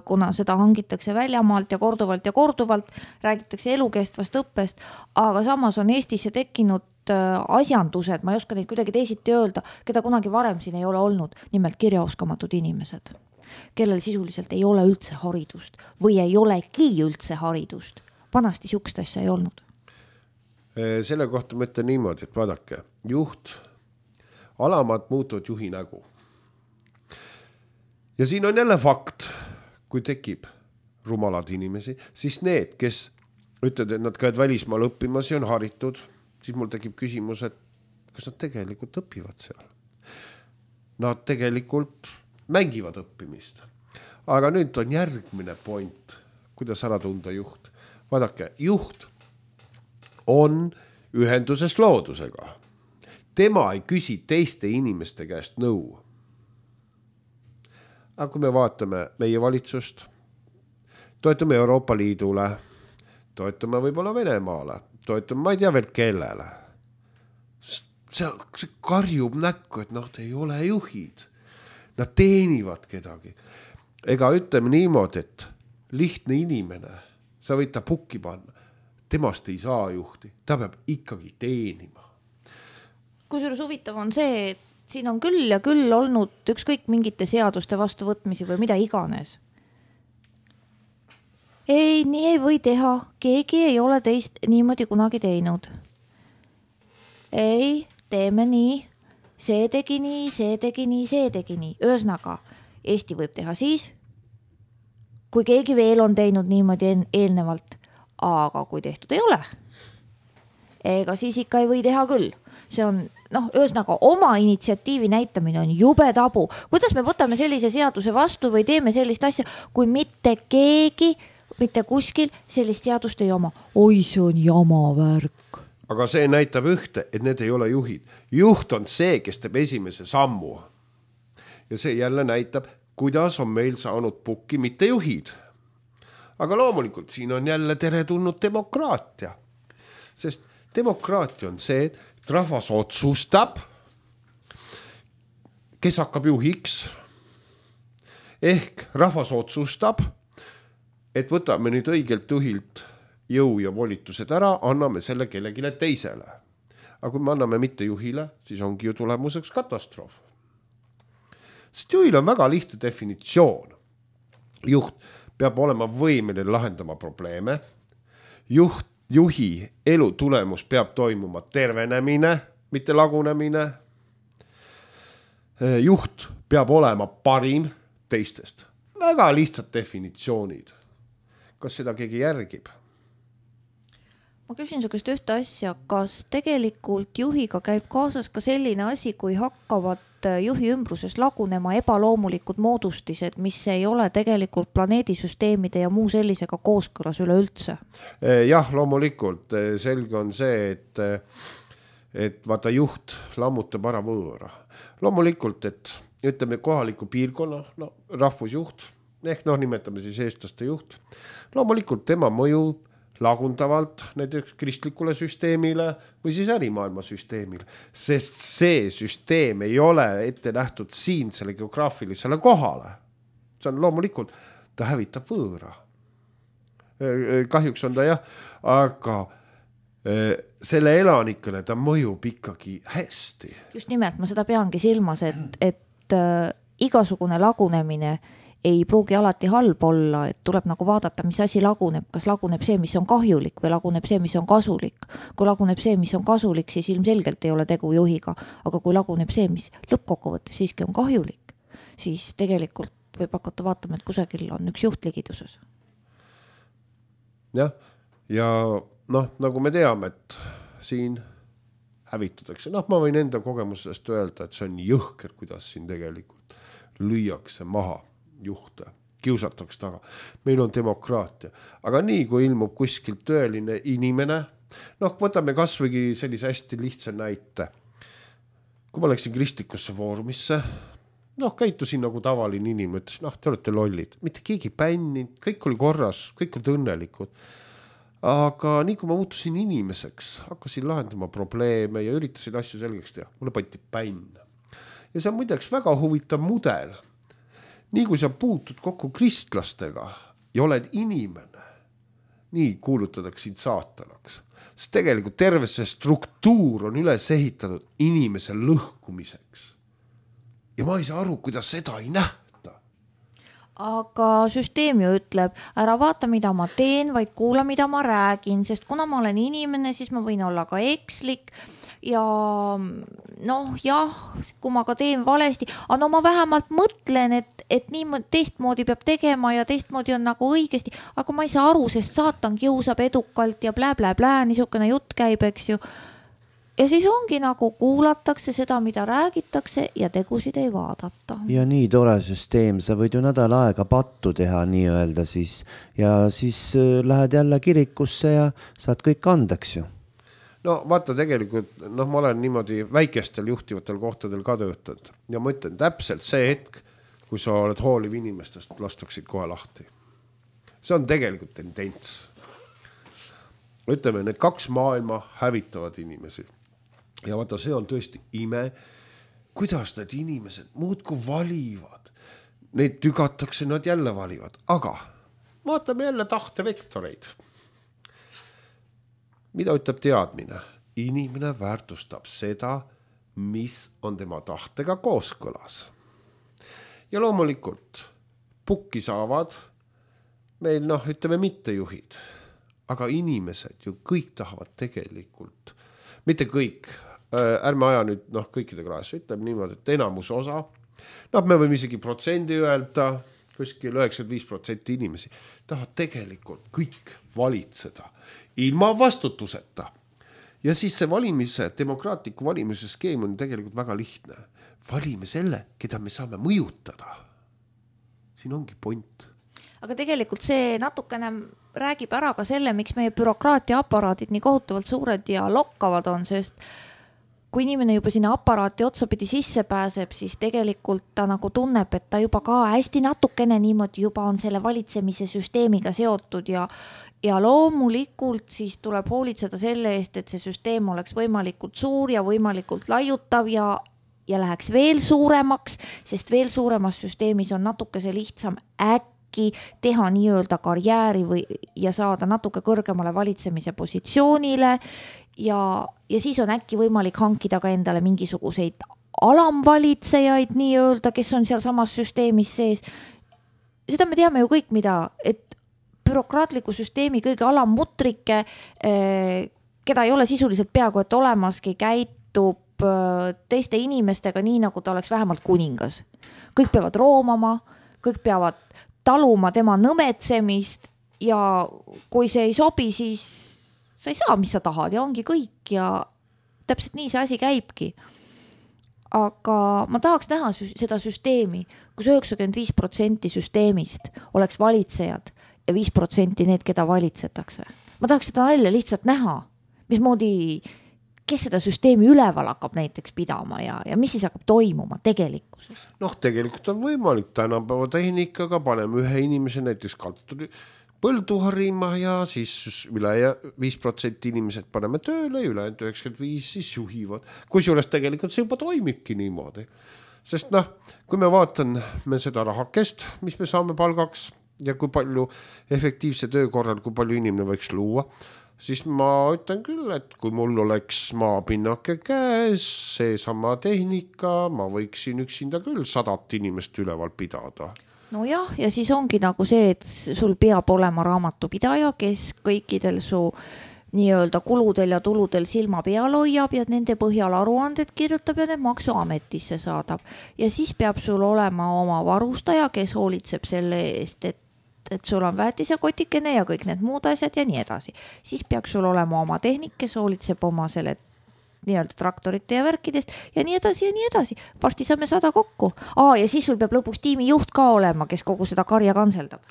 kuna seda hangitakse väljamaalt ja korduvalt ja korduvalt, räägitakse elukestvast õppest, aga samas on Eestisse tekkinud asjandused, ma ei oska neid kuidagi teisiti öelda, keda kunagi varem siin ei ole olnud, nimelt kirjaoskamatud inimesed, kellel sisuliselt ei ole üldse haridust või ei olegi üldse haridust. Vanasti sihukest asja ei olnud. Selle kohta ma ütlen niimoodi, et vaadake, juht, alamad muutuvad juhi nägu. Ja siin on jälle fakt, kui tekib rumalad inimesi, siis need, kes ütlevad, et nad käivad välismaal õppimas ja on haritud, siis mul tekib küsimus, et kas nad tegelikult õpivad seal. Nad tegelikult mängivad õppimist. Aga nüüd on järgmine point, kuidas ära tunda juht. Vaadake, juht on ühenduses loodusega. Tema ei küsi teiste inimeste käest nõu. Aga kui me vaatame meie valitsust, toetume Euroopa Liidule, toetume võib-olla Venemaale, toetume ma ei tea veel kellele. See, see karjub näkku, et noh, ei ole juhid. Nad teenivad kedagi. Ega ütleme niimoodi, et lihtne inimene, sa võid ta pukki panna, temast ei saa juhti, ta peab ikkagi teenima. Kusjuures huvitav on see, et siin on küll ja küll olnud ükskõik mingite seaduste vastuvõtmisi või mida iganes. Ei, nii ei või teha. Keegi ei ole teist niimoodi kunagi teinud. Ei, teeme nii. See tegi nii, see tegi nii, see tegi nii. Ühesõnaga, Eesti võib teha siis, kui keegi veel on teinud niimoodi eelnevalt. Aga kui tehtud ei ole, ega siis ikka ei või teha küll. See on, noh, ühesõnaga oma initsiatiivi näitamine on jube tabu. Kuidas me võtame sellise seaduse vastu või teeme sellist asja, kui mitte keegi, mitte kuskil sellist seadust ei oma? Oi, see on jama värk. Aga see näitab ühte, et need ei ole juhid. Juht on see, kes teeb esimese sammu. Ja see jälle näitab, kuidas on meil saanud pukki, mitte juhid. Aga loomulikult siin on jälle tere tulnud demokraatia. Sest demokraatia on see, et rahvas otsustab, kes hakkab juhiks. Ehk rahvas otsustab, et võtame nüüd õigelt juhilt jõu ja volitused ära, anname selle kellegile teisele. Aga kui me anname mitte juhile, siis ongi ju tulemuseks katastroof. Sest juhil on väga lihtne definitsioon. Juht peab olema võimeline lahendama probleeme. Juht Juhi elu tulemus peab toimuma tervenemine, mitte lagunemine. Juht peab olema parim teistest. Väga lihtsad definitsioonid. Kas seda keegi järgib? ma küsin su käest ühte asja, kas tegelikult juhiga käib kaasas ka selline asi, kui hakkavad juhi ümbruses lagunema ebaloomulikud moodustised, mis ei ole tegelikult planeedisüsteemide ja muu sellisega kooskõlas üleüldse? Jah, loomulikult. Selge on see, et, et vaata juht lammutab ära võõra. Loomulikult, et ütleme kohaliku piirkonna no, rahvusjuht, ehk noh, nimetame siis eestlaste juht. Loomulikult tema mõju lagundavalt näiteks kristlikule süsteemile või siis ärimaailma süsteemile, sest see süsteem ei ole ette nähtud siin selle geograafilisele kohale. See on loomulikult, ta hävitab võõra. Kahjuks on ta jah, aga selle elanikele ta mõjub ikkagi hästi. Just nimelt, ma seda peangi silmas, et, et äh, igasugune lagunemine ei pruugi alati halb olla, et tuleb nagu vaadata, mis asi laguneb, kas laguneb see, mis on kahjulik või laguneb see, mis on kasulik. Kui laguneb see, mis on kasulik, siis ilmselgelt ei ole tegu juhiga, aga kui laguneb see, mis lõppkokkuvõttes siiski on kahjulik, siis tegelikult võib hakata vaatama, et kusagil on üks juht ligiduses. Jah, ja noh, nagu me teame, et siin hävitatakse, noh, ma võin enda kogemusest öelda, et see on jõhker, kuidas siin tegelikult lüüakse maha juhte, kiusatakse taga. Meil on demokraatia. Aga nii, kui ilmub kuskilt tõeline inimene, noh, võtame kasvõigi sellise hästi lihtsa näite. Kui ma läksin kristlikusse foorumisse, noh, käitusin nagu tavaline inimene, ütles, noh, te olete lollid. Mitte keegi bänninud, kõik oli korras, kõik olid õnnelikud. Aga nii kui ma muutusin inimeseks, hakkasin lahendama probleeme ja üritasin asju selgeks teha. Mulle pandi bänn. Ja see on muideks väga huvitav mudel. Nii kui sa puutud kokku kristlastega ja oled inimene, nii kuulutatakse sind saatanaks. Sest tegelikult terve see struktuur on üles ehitatud inimese lõhkumiseks. Ja ma ei saa aru, kuidas seda ei nähta. Aga süsteem ju ütleb, ära vaata, mida ma teen, vaid kuula, mida ma räägin, sest kuna ma olen inimene, siis ma võin olla ka ekslik. Ja noh, jah, kui ma ka teen valesti, aga no ma vähemalt mõtlen, et, et nii teistmoodi peab tegema ja teistmoodi on nagu õigesti, aga ma ei saa aru, sest saatan kiusab edukalt ja blä, blä, blä, niisugune jutt käib, eks ju. Ja siis ongi nagu kuulatakse seda, mida räägitakse ja tegusid ei vaadata. Ja nii tore süsteem, sa võid ju nädal aega pattu teha nii öelda siis ja siis lähed jälle kirikusse ja saad kõik andeks ju. No vaata tegelikult, noh, ma olen niimoodi väikestel juhtivatel kohtadel ka töötanud ja ma ütlen täpselt see hetk, kui sa oled hooliv inimestest, lastaksid kohe lahti. See on tegelikult tendents. Ütleme, need kaks maailma hävitavad inimesi. Ja vaata, see on tõesti ime, kuidas need inimesed muudku valivad. Neid tügatakse, nad jälle valivad. Aga vaatame jälle tahtevektoreid. Mida ütleb teadmine? Inimene väärtustab seda, mis on tema tahtega kooskõlas. Ja loomulikult pukki saavad meil, noh, ütleme mittejuhid, aga inimesed ju kõik tahavad tegelikult, mitte kõik, ärme aja nüüd, noh, kõikide klaasi, ütleme niimoodi, et enamus osa, noh, me võime isegi protsendi öelda, kuskil üheksakümmend viis protsenti inimesi tahavad tegelikult kõik valitseda ilma vastutuseta. Ja siis see valimise, demokraatliku valimise skeem on tegelikult väga lihtne. Valime selle, keda me saame mõjutada. Siin ongi point. Aga tegelikult see natukene räägib ära ka selle, miks meie bürokraatia aparaadid nii kohutavalt suured ja lokkavad on, sest kui inimene juba sinna aparaati otsapidi sisse pääseb, siis tegelikult ta nagu tunneb, et ta juba ka hästi natukene niimoodi juba on selle valitsemise süsteemiga seotud ja, ja loomulikult siis tuleb hoolitseda selle eest, et see süsteem oleks võimalikult suur ja võimalikult laiutav ja, ja läheks veel suuremaks, sest veel suuremas süsteemis on natuke see lihtsam äkki teha nii-öelda karjääri või, ja saada natuke kõrgemale valitsemise positsioonile ja, ja siis on äkki võimalik hankida ka endale mingisuguseid alamvalitsejaid nii-öelda, kes on seal samas süsteemis sees. Seda me teame ju kõik, mida, et bürokraatliku süsteemi kõige alammutrike, keda ei ole sisuliselt peaaegu et olemaski, käitub teiste inimestega nii, nagu ta oleks vähemalt kuningas. Kõik peavad roomama, kõik peavad taluma tema nõmetsemist ja kui see ei sobi, siis sa ei saa, mis sa tahad ja ongi kõik ja täpselt nii see asi käibki. Aga ma tahaks näha seda süsteemi, kus üheksakümmend viis protsenti süsteemist oleks valitsejad ja viis protsenti need, keda valitsetakse. Ma tahaks seda nalja lihtsalt näha, mismoodi, kes seda süsteemi üleval hakkab näiteks pidama ja, ja mis siis hakkab toimuma tegelikkuses. Noh, tegelikult on võimalik tänapäeva tehnikaga, paneme ühe inimese näiteks kalturi põldu harima ja siis üle viis protsenti inimesed paneme tööle ja üle üheksakümmend viis siis juhivad. Kusjuures tegelikult see juba toimibki niimoodi. Sest noh, kui me vaatan me seda rahakest, mis me saame palgaks ja kui palju efektiivse töö korral, kui palju inimene võiks luua, siis ma ütlen küll, et kui mul oleks maapinnake käes, see sama tehnika, ma võiksin üksinda küll sadat inimest üleval pidada. No jah, ja siis ongi nagu see, et sul peab olema raamatupidaja, kes kõikidel su nii-öelda kuludel ja tuludel silma peal hoiab ja nende põhjal aruanded kirjutab ja need maksuametisse saadab. Ja siis peab sul olema oma varustaja, kes hoolitseb selle eest, et, et sul on väetise kotikene ja kõik need muud asjad ja nii edasi. Siis peaks sul olema oma tehnik, kes hoolitseb oma selle nii-öelda traktorite ja värkidest ja nii edasi ja nii edasi. Varsti saame sada kokku. Aa, ja siis sul peab lõpuks tiimi juht ka olema, kes kogu seda karja kanseldab.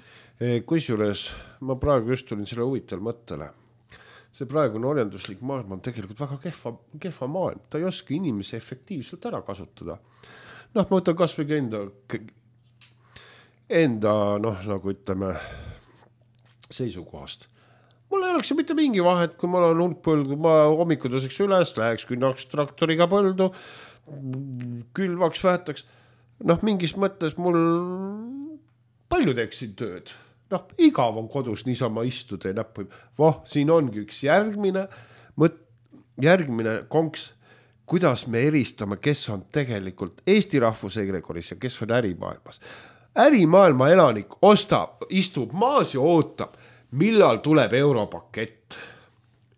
Kusjuures ma praegu just tulin selle huvitaval mõttele. See praegune orjanduslik maailm on tegelikult väga kehva, kehva maailm. Ta ei oska inimese efektiivselt ära kasutada. Noh, ma võtan kas või enda, enda noh, nagu ütleme, seisukohast. Mul ei oleks ju mitte mingi vahet, kui mul on hulk põldu, ma hommikuduseks üles, läheks künnaks traktoriga põldu, külvaks, vähetaks. Noh, mingis mõttes mul palju teeksin tööd. Noh, igav on kodus niisama istuda ja näppu. Voh, siin ongi üks järgmine, mõt, järgmine konks, kuidas me eristame, kes on tegelikult Eesti rahvusegregoris ja kes on ärimaailmas. Ärimaailma elanik ostab, istub maas ja ootab, millal tuleb europakett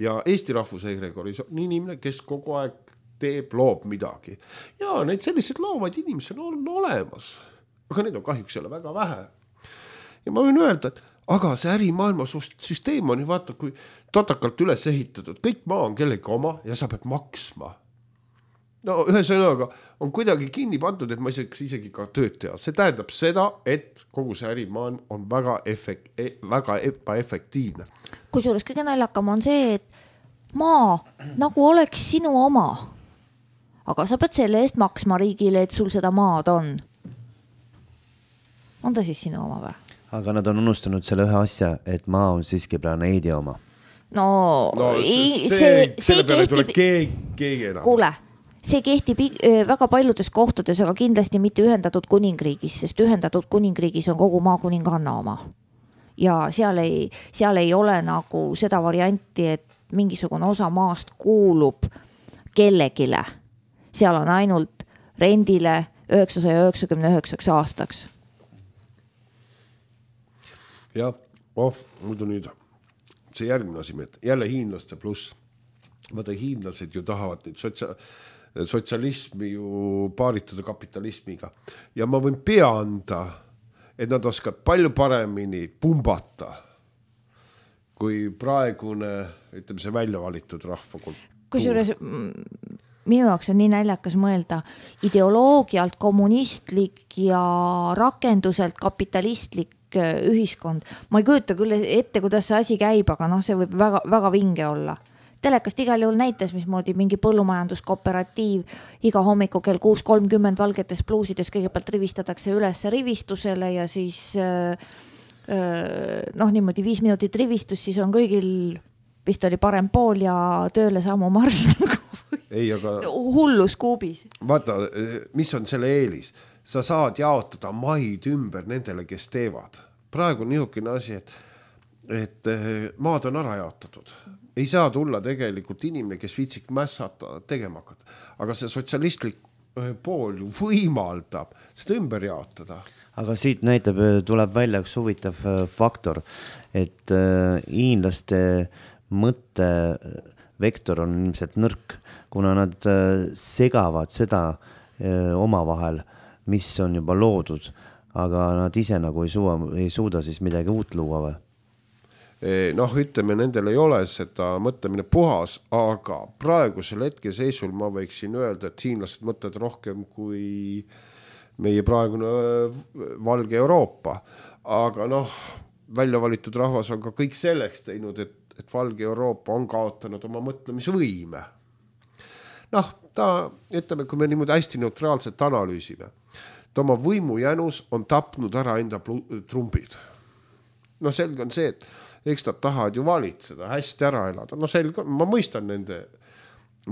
ja Eesti rahvusegregoris on inimene, kes kogu aeg teeb, loob midagi. Ja neid sellised loovad inimesed on olemas, aga neid on kahjuks jälle väga vähe. Ja ma võin öelda, et aga see ärimaailma süsteem on ju vaata, kui totakalt üles ehitatud, kõik maa on kellegi oma ja sa pead maksma. No ühesõnaga on kuidagi kinni pandud, et ma isegi, isegi ka tööd teha. See tähendab seda, et kogu see ärimaailm on väga, efekt, väga ebaefektiivne. Kusjuures kõige naljakam on see, et maa nagu oleks sinu oma, aga sa pead selle eest maksma riigile, et sul seda maad on. On ta siis sinu oma või? Aga nad on unustanud selle ühe asja, et maa on siiski planeedi oma. No, no ei, see, see, see selle peale kehtib... tule keegi, keegi enam. Kuule, see kehtib väga paljudes kohtades, aga kindlasti mitte ühendatud kuningriigis, sest ühendatud kuningriigis on kogu maakuninganna oma. Ja seal ei, seal ei ole nagu seda varianti, et mingisugune osa maast kuulub kellegile. Seal on ainult rendile üheksasaja üheksakümne üheksaks aastaks. Ja, oh, muidu nüüd see järgmine asi, jälle hiinlaste pluss. Vaata, hiinlased ju tahavad nüüd sotsia, sotsialismi ju paaritada kapitalismiga. Ja ma võin pea anda, et nad oskavad palju paremini pumbata kui praegune, ütleme see välja valitud rahvakultuur. Kusjuures minu jaoks on nii näljakas mõelda ideoloogialt kommunistlik ja rakenduselt kapitalistlik ühiskond. Ma ei kujuta küll ette, kuidas see asi käib, aga noh, see võib väga, väga vinge olla. Telekast igal juhul näitas, mismoodi mingi põllumajanduskooperatiiv iga hommiku kell kuus kolmkümmend valgetes pluusides kõigepealt rivistatakse üles rivistusele ja siis noh, niimoodi viis minutit rivistus, siis on kõigil vist oli parem pool ja tööle sammu mars ei, aga... hullus kuubis. Vaata, mis on selle eelis? Sa saad jaotada maid ümber nendele, kes teevad. Praegu on niisugune asi, et, et maad on ära jaotatud. Ei saa tulla tegelikult inimene, kes viitsik mässata tegema hakata. Aga see sotsialistlik pool ju võimaldab seda ümber jaotada. Aga siit näitab, tuleb välja üks huvitav faktor, et hiinlaste mõttevektor on ilmselt nõrk, kuna nad segavad seda omavahel, mis on juba loodud, aga nad ise nagu ei suuda, ei suuda siis midagi uut luua või? noh, ütleme, nendel ei ole seda mõtlemine puhas, aga praegusel hetke seisul ma võiksin öelda, et hiinlased mõtlevad rohkem kui meie praegune valge Euroopa. Aga noh, välja valitud rahvas on ka kõik selleks teinud, et, et valge Euroopa on kaotanud oma mõtlemisvõime. Noh, ta, ütleme, kui me niimoodi hästi neutraalselt analüüsime, ta oma võimujänus on tapnud ära enda trumbid. No selge on see, et eks nad tahavad ju valitseda, hästi ära elada. No selge, ma mõistan nende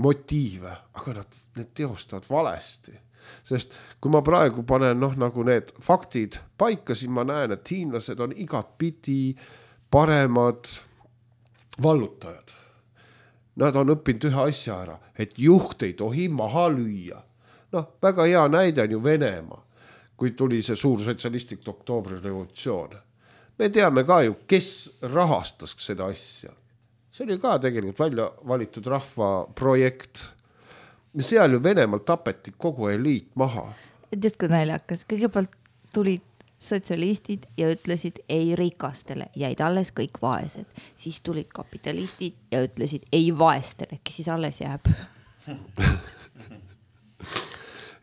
motiive, aga nad need teostavad valesti. Sest kui ma praegu panen noh, nagu need faktid paika, siis ma näen, et hiinlased on igat pidi paremad vallutajad. Nad on õppinud ühe asja ära, et juht ei tohi maha lüüa. Noh, väga hea näide on ju Venemaa, kui tuli see suur sotsialistlik oktoobri revolutsioon. Me teame ka ju, kes rahastas seda asja. See oli ka tegelikult välja valitud rahva projekt. Ja seal ju Venemaal tapeti kogu eliit maha. Tead, kui naljakas, kõigepealt tulid sotsialistid ja ütlesid ei rikastele, jäid alles kõik vaesed. Siis tulid kapitalistid ja ütlesid ei vaestele, kes siis alles jääb.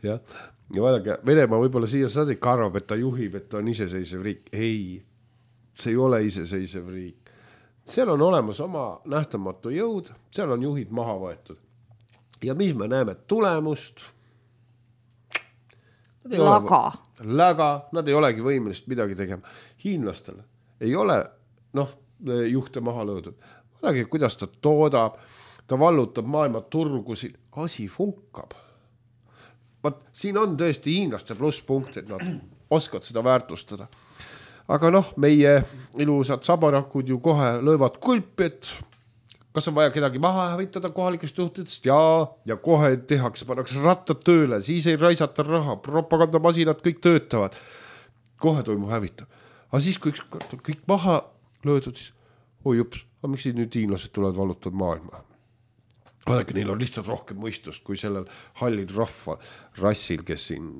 ja, ja vaadake, Venemaa võib-olla siia saadik arvab, et ta juhib, et ta on iseseisev riik. Ei, see ei ole iseseisev riik. Seal on olemas oma nähtamatu jõud, seal on juhid maha võetud. Ja mis me näeme tulemust? Laga. Ole, läga, nad ei olegi võimelist midagi tegema. Hiinlastel ei ole noh, juhte maha löödud. Vaadake, kuidas ta toodab, ta vallutab maailma turgusid, asi funkab. Vaat, siin on tõesti hiinlaste plusspunkt, et nad oskavad seda väärtustada. Aga noh, meie ilusad sabarakud ju kohe löövad kulpi, et kas on vaja kedagi maha hävitada kohalikest juhtidest? Jaa, ja kohe tehakse, pannakse rattad tööle, siis ei raisata raha, propagandamasinad kõik töötavad. Kohe toimub hävitab. Aga siis, kui kõik maha löödud, siis oi jups, aga miks nüüd hiinlased tulevad valutavad maailma? Vaadake, neil on lihtsalt rohkem mõistust kui sellel hallid rahva rassil, kes siin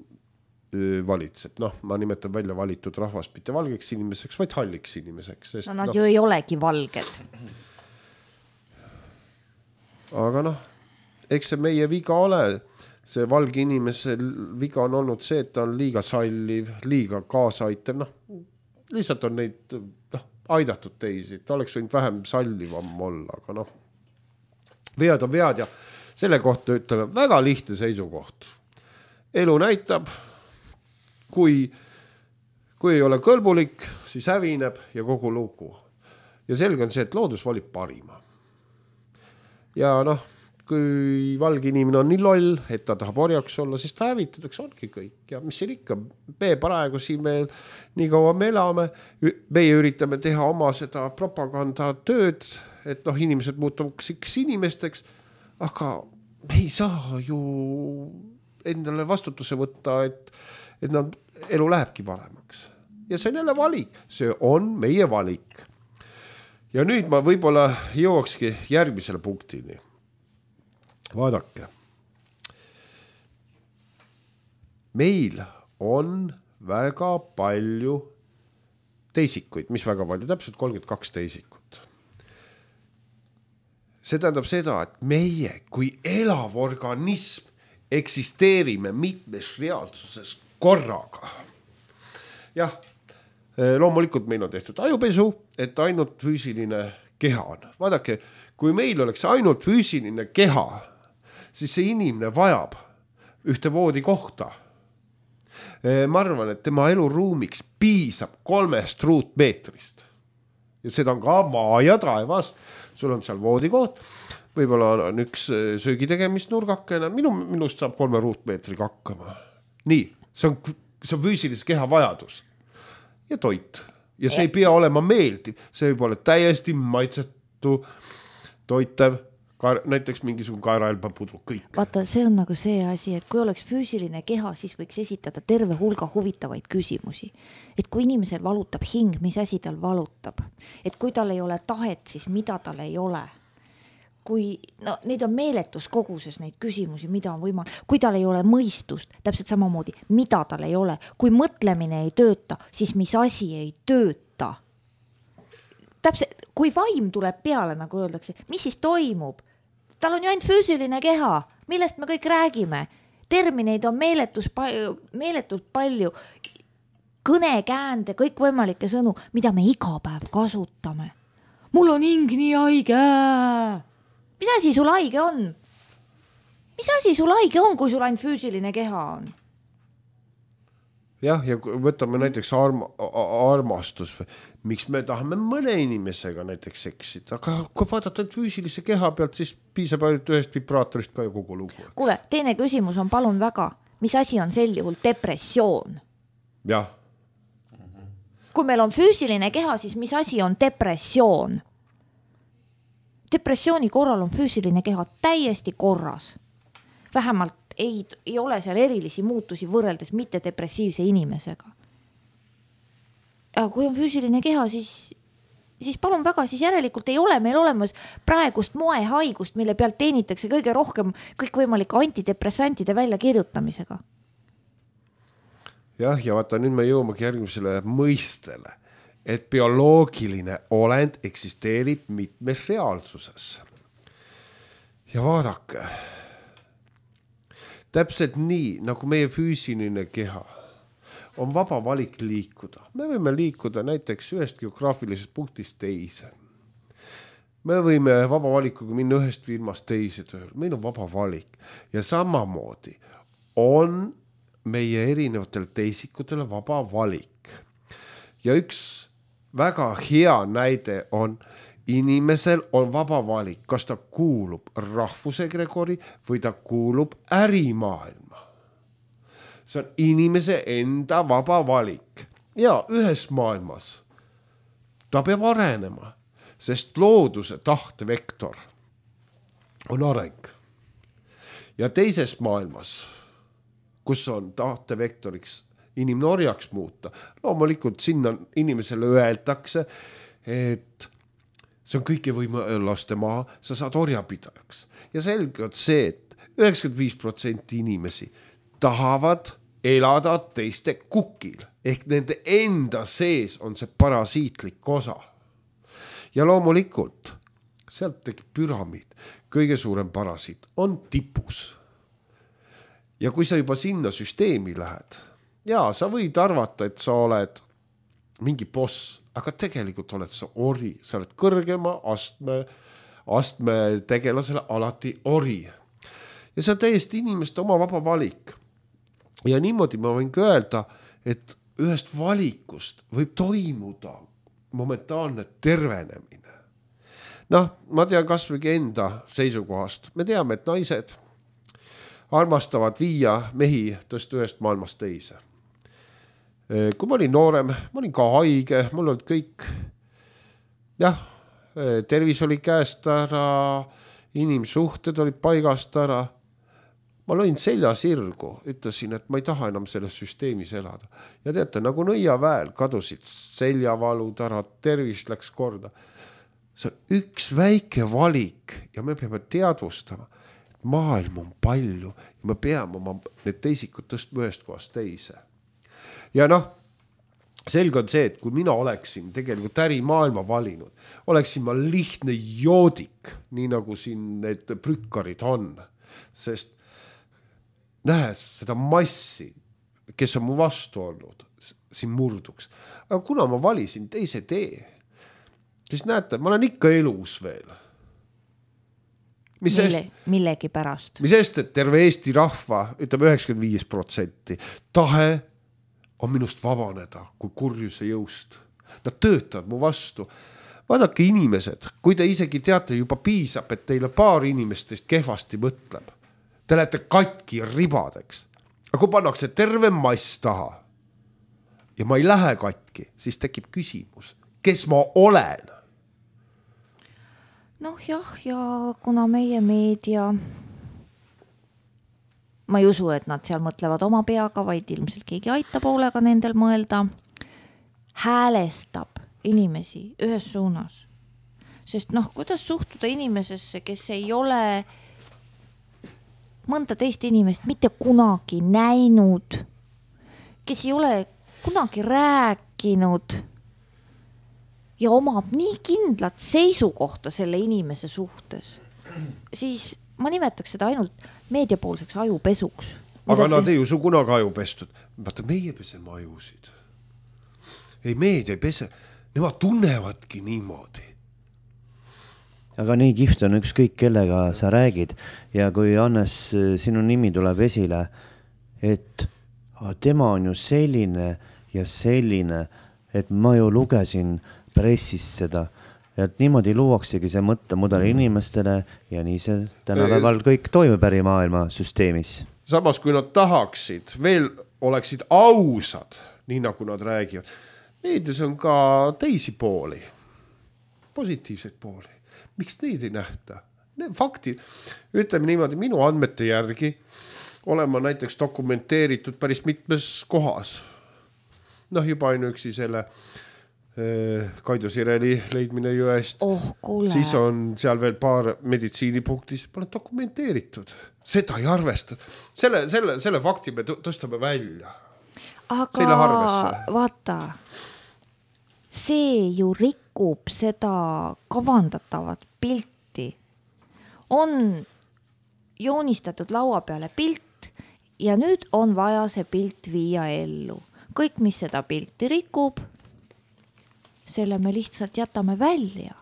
valitseb. Noh, ma nimetan välja valitud rahvast mitte valgeks inimeseks, vaid halliks inimeseks. Sest, no nad no, ju ei olegi valged. Aga noh, eks see meie viga ole, see valge inimese viga on olnud see, et ta on liiga salliv, liiga kaasaitev, noh, lihtsalt on neid noh, aidatud teisi, ta oleks võinud vähem sallivam olla, aga noh, vead on vead ja selle kohta ütleme väga lihtne seisukoht. Elu näitab, kui, kui ei ole kõlbulik, siis hävineb ja kogu lugu. Ja selge on see, et loodus valib parima. Ja noh, kui valge inimene on nii loll, et ta tahab orjaks olla, siis ta hävitatakse, ongi kõik. Ja mis siin ikka, me praegu siin veel nii kaua me elame, meie üritame teha oma seda propagandatööd, et noh, inimesed muutuks inimesteks, aga me ei saa ju endale vastutuse võtta, et, et nad, elu lähebki paremaks. Ja see on jälle valik, see on meie valik. Ja nüüd ma võib-olla jõuakski järgmisele punktini. Vaadake. Meil on väga palju teisikuid, mis väga palju, täpselt kolmkümmend kaks teisikut. See tähendab seda, et meie kui elav organism eksisteerime mitmes reaalsuses korraga. Jah, loomulikult meil on tehtud ajupesu, et ainult füüsiline keha on. Vaadake, kui meil oleks ainult füüsiline keha, siis see inimene vajab ühte voodi kohta. Ma arvan, et tema eluruumiks piisab kolmest ruutmeetrist. Ja seda on ka maa ja taevas. Sul on seal voodi koht, võib-olla on üks söögitegemist nurgakene, minu, minust saab kolme ruutmeetriga hakkama. Nii, see on, see on füüsilise keha vajadus. Ja toit. Ja see ei pea olema meeldiv, see võib olla täiesti maitsetu, toitev, ka, näiteks mingisugune kaeraelba pudru, kõik. Vaata, see on nagu see asi, et kui oleks füüsiline keha, siis võiks esitada terve hulga huvitavaid küsimusi. Et kui inimesel valutab hing, mis asi tal valutab? Et kui tal ei ole tahet, siis mida tal ei ole? Kui, no, neid on meeletus koguses neid küsimusi, mida on võimalik, kui tal ei ole mõistust, täpselt samamoodi, mida tal ei ole, kui mõtlemine ei tööta, siis mis asi ei tööta. täpselt, kui vaim tuleb peale, nagu öeldakse, mis siis toimub? Tal on ju ainult füüsiline keha, millest me kõik räägime. Termineid on meeletus palju, meeletult palju, kõnekäände, kõik võimalikke sõnu, mida me iga päev kasutame. Mul on hing nii haige. Mis asi sul haige on? Mis asi sul haige on, kui sul ainult füüsiline keha on? Jah, ja võtame näiteks arma, armastus. Miks me tahame mõne inimesega näiteks seksida, aga kui vaadata füüsilise keha pealt, siis piisab ainult ühest vibraatorist ka ju kogu lugu. Kuule, teine küsimus on palun väga, mis asi on sel juhul depressioon? Jah. Kui meil on füüsiline keha, siis mis asi on depressioon? Depressiooni korral on füüsiline keha täiesti korras. Vähemalt ei, ei ole seal erilisi muutusi võrreldes mitte depressiivse inimesega. Aga kui on füüsiline keha, siis, siis palun väga, siis järelikult ei ole meil olemas praegust moehaigust, mille pealt teenitakse kõige rohkem kõikvõimalike antidepressantide välja kirjutamisega. Jah, ja vaata, nüüd me jõumegi järgmisele mõistele, et bioloogiline olend eksisteerib mitmes reaalsuses. Ja vaadake, täpselt nii, nagu meie füüsiline keha on vaba valik liikuda. Me võime liikuda näiteks ühest geograafilisest punktist teise. Me võime vaba valikuga minna ühest firmast teise tööl. Meil on vaba valik. Ja samamoodi on meie erinevatel teisikutel vaba valik. Ja üks väga hea näide on, inimesel on vaba valik, kas ta kuulub rahvusegregori või ta kuulub ärimaailma. See on inimese enda vaba valik. Ja ühes maailmas ta peab arenema, sest looduse tahtevektor on areng. Ja teises maailmas, kus on tahtevektoriks inimnorjaks muuta, loomulikult sinna inimesele öeldakse, et see on kõike võime laste maa, sa saad orjapidajaks. Ja selge on see, et üheksakümmend viis protsenti inimesi tahavad elada teiste kukil, ehk nende enda sees on see parasiitlik osa. Ja loomulikult, sealt tekib püramiid, kõige suurem parasiit on tipus. Ja kui sa juba sinna süsteemi lähed, ja sa võid arvata, et sa oled mingi boss, aga tegelikult oled sa ori, sa oled kõrgema astme, astme tegelasele alati ori. Ja see on täiesti inimeste oma vaba valik. Ja niimoodi ma võin öelda, et ühest valikust võib toimuda momentaalne tervenemine. Noh, ma tean kas või enda seisukohast. Me teame, et naised armastavad viia mehi tõsta ühest maailmast teise. Kui ma olin noorem, ma olin ka haige, mul olid kõik, jah, tervis oli käest ära, inimsuhted olid paigast ära. Ma lõin selja sirgu, ütlesin, et ma ei taha enam selles süsteemis elada. Ja teate, nagu nõiaväel kadusid seljavalud ära, tervis läks korda. See on üks väike valik ja me peame teadvustama, et maailm on palju ja me peame oma need teisikud tõstma ühest kohast teise. Ja noh, selge on see, et kui mina oleksin tegelikult ärimaailma valinud, oleksin ma lihtne joodik, nii nagu siin need prükkarid on, sest nähes seda massi, kes on mu vastu olnud, siin murduks. Aga kuna ma valisin teise tee, siis näete, ma olen ikka elus veel. Mis Mille, eest, millegi pärast. Mis eest, et terve Eesti rahva, ütleme üheksakümmend viis protsenti, tahe on minust vabaneda kui kurjuse jõust. Nad töötavad mu vastu. Vaadake inimesed, kui te isegi teate juba piisab, et teile paar inimestest kehvasti mõtleb. Te lähete katki ribadeks. Aga kui pannakse terve mass taha ja ma ei lähe katki, siis tekib küsimus, kes ma olen? Noh jah, ja kuna meie meedia, ma ei usu, et nad seal mõtlevad oma peaga, vaid ilmselt keegi aitab hoolega nendel mõelda, häälestab inimesi ühes suunas. Sest noh, kuidas suhtuda inimesesse, kes ei ole mõnda teist inimest mitte kunagi näinud, kes ei ole kunagi rääkinud, ja omab nii kindlat seisukohta selle inimese suhtes, siis ma nimetaks seda ainult meediapoolseks ajupesuks. Aga nad ei usu kunagi ajupestud. Vaata, meie peseme ajusid. Ei, meedia ei pese. Nemad tunnevadki niimoodi. Aga nii kihvt on ükskõik kellega sa räägid ja kui Hannes sinu nimi tuleb esile, et tema on ju selline ja selline, et ma ju lugesin pressist seda, et niimoodi luuaksegi see mõttemudel inimestele ja nii see tänapäeval kõik toimub ärimaailma süsteemis. Samas, kui nad tahaksid, veel oleksid ausad, nii nagu nad räägivad. Meedias on ka teisi pooli, positiivseid pooli. Miks neid ei nähta? Need fakti, ütleme niimoodi, minu andmete järgi olen ma näiteks dokumenteeritud päris mitmes kohas. Noh, juba ainuüksi selle äh, Kaido Sireli leidmine jõest. Oh, kuule. Siis on seal veel paar meditsiinipunktis. Pole dokumenteeritud. Seda ei arvesta. Selle, selle, selle fakti me tõstame välja. Aga vaata, see ju rikub seda kavandatavat pilti. On joonistatud laua peale pilt ja nüüd on vaja see pilt viia ellu. Kõik, mis seda pilti rikub, selle me lihtsalt jätame välja.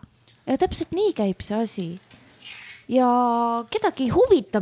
Ja täpselt nii käib see asi. Ja kedagi ei huvita,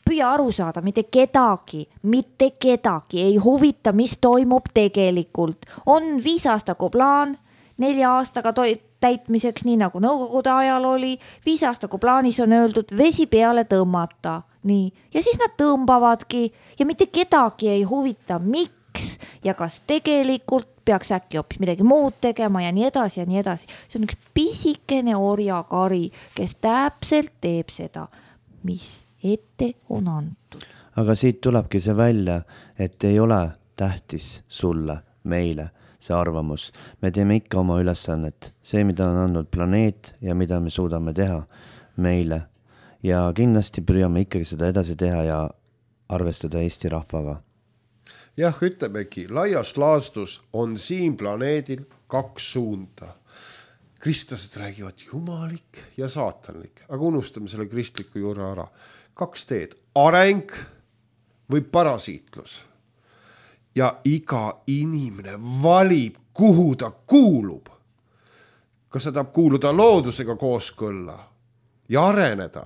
püüa aru saada, mitte kedagi, mitte kedagi ei huvita, mis toimub tegelikult. On viis aastaku plaan, nelja aastaga toi- täitmiseks, nii nagu nõukogude ajal oli, viis aastaku plaanis on öeldud vesi peale tõmmata. Nii. Ja siis nad tõmbavadki ja mitte kedagi ei huvita, miks ja kas tegelikult peaks äkki hoopis midagi muud tegema ja nii edasi ja nii edasi. See on üks pisikene orjakari, kes täpselt teeb seda, mis ette on antud. Aga siit tulebki see välja, et ei ole tähtis sulle, meile see arvamus. Me teeme ikka oma ülesannet. See, mida on andnud planeet ja mida me suudame teha meile. Ja kindlasti püüame ikkagi seda edasi teha ja arvestada Eesti rahvaga. Jah, ütlemegi, laias laastus on siin planeedil kaks suunda. Kristlased räägivad jumalik ja saatanlik, aga unustame selle kristliku juurde ära. Kaks teed, areng või parasiitlus. Ja iga inimene valib, kuhu ta kuulub. Kas ta tahab kuuluda loodusega kooskõlla ja areneda?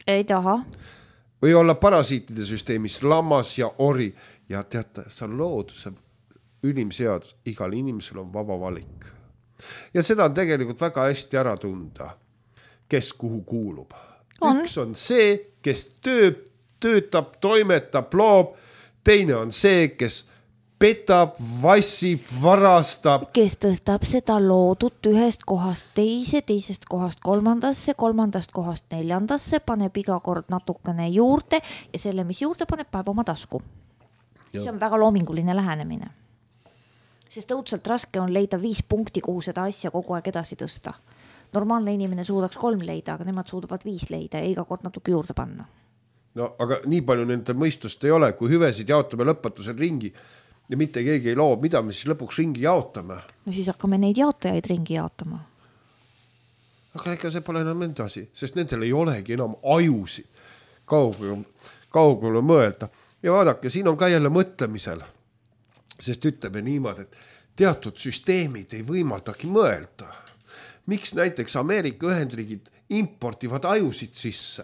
Ei taha. Või olla parasiitide süsteemis lammas ja ori. Ja teate, see on looduse ülimseadus. Igal inimesel on vaba valik. Ja seda on tegelikult väga hästi ära tunda, kes kuhu kuulub. On. Üks on see, kes tööb, töötab, toimetab, loob. Teine on see, kes petab, vassib, varastab. Kes tõstab seda loodut ühest kohast teise, teisest kohast kolmandasse, kolmandast kohast neljandasse, paneb iga kord natukene juurde ja selle, mis juurde paneb, paneb oma tasku. Ja. See on väga loominguline lähenemine. Sest õudselt raske on leida viis punkti, kuhu seda asja kogu aeg edasi tõsta. Normaalne inimene suudaks kolm leida, aga nemad suudavad viis leida ja iga kord natuke juurde panna. No, aga nii palju nende mõistust ei ole, kui hüvesid jaotame lõpetusel ringi ja mitte keegi ei loo, mida me siis lõpuks ringi jaotame. No siis hakkame neid jaotajaid ringi jaotama. Aga ega see pole enam endasi, sest nendel ei olegi enam ajusid kaugele, kaugele mõelda. Ja vaadake, siin on ka jälle mõtlemisel, sest ütleme niimoodi, et teatud süsteemid ei võimaldagi mõelda. Miks näiteks Ameerika Ühendriigid importivad ajusid sisse?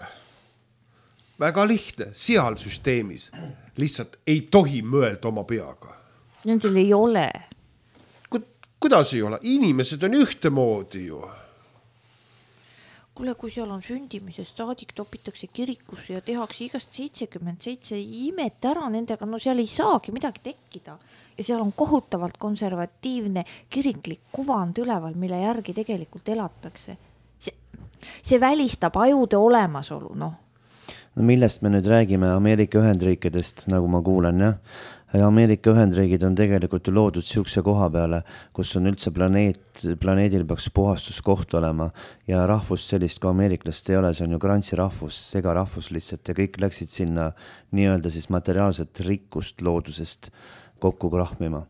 Väga lihtne, seal süsteemis lihtsalt ei tohi mõelda oma peaga. Nendel ei ole. Kuidas ei ole? Inimesed on ühtemoodi ju. Kuule, kui seal on sündimisest saadik, topitakse kirikusse ja tehakse igast seitsekümmend seitse imet ära nendega, no seal ei saagi midagi tekkida. Ja seal on kohutavalt konservatiivne kiriklik kuvand üleval, mille järgi tegelikult elatakse. See, see välistab ajude olemasolu, noh. No millest me nüüd räägime Ameerika Ühendriikidest, nagu ma kuulen, jah? Ameerika Ühendriigid on tegelikult loodud siukse koha peale, kus on üldse planeet, planeedil peaks puhastuskoht olema ja rahvust sellist kui ameeriklast ei ole, see on ju grantsi rahvus, sega rahvus lihtsalt ja kõik läksid sinna nii-öelda siis materiaalset rikkust loodusest kokku krahmima.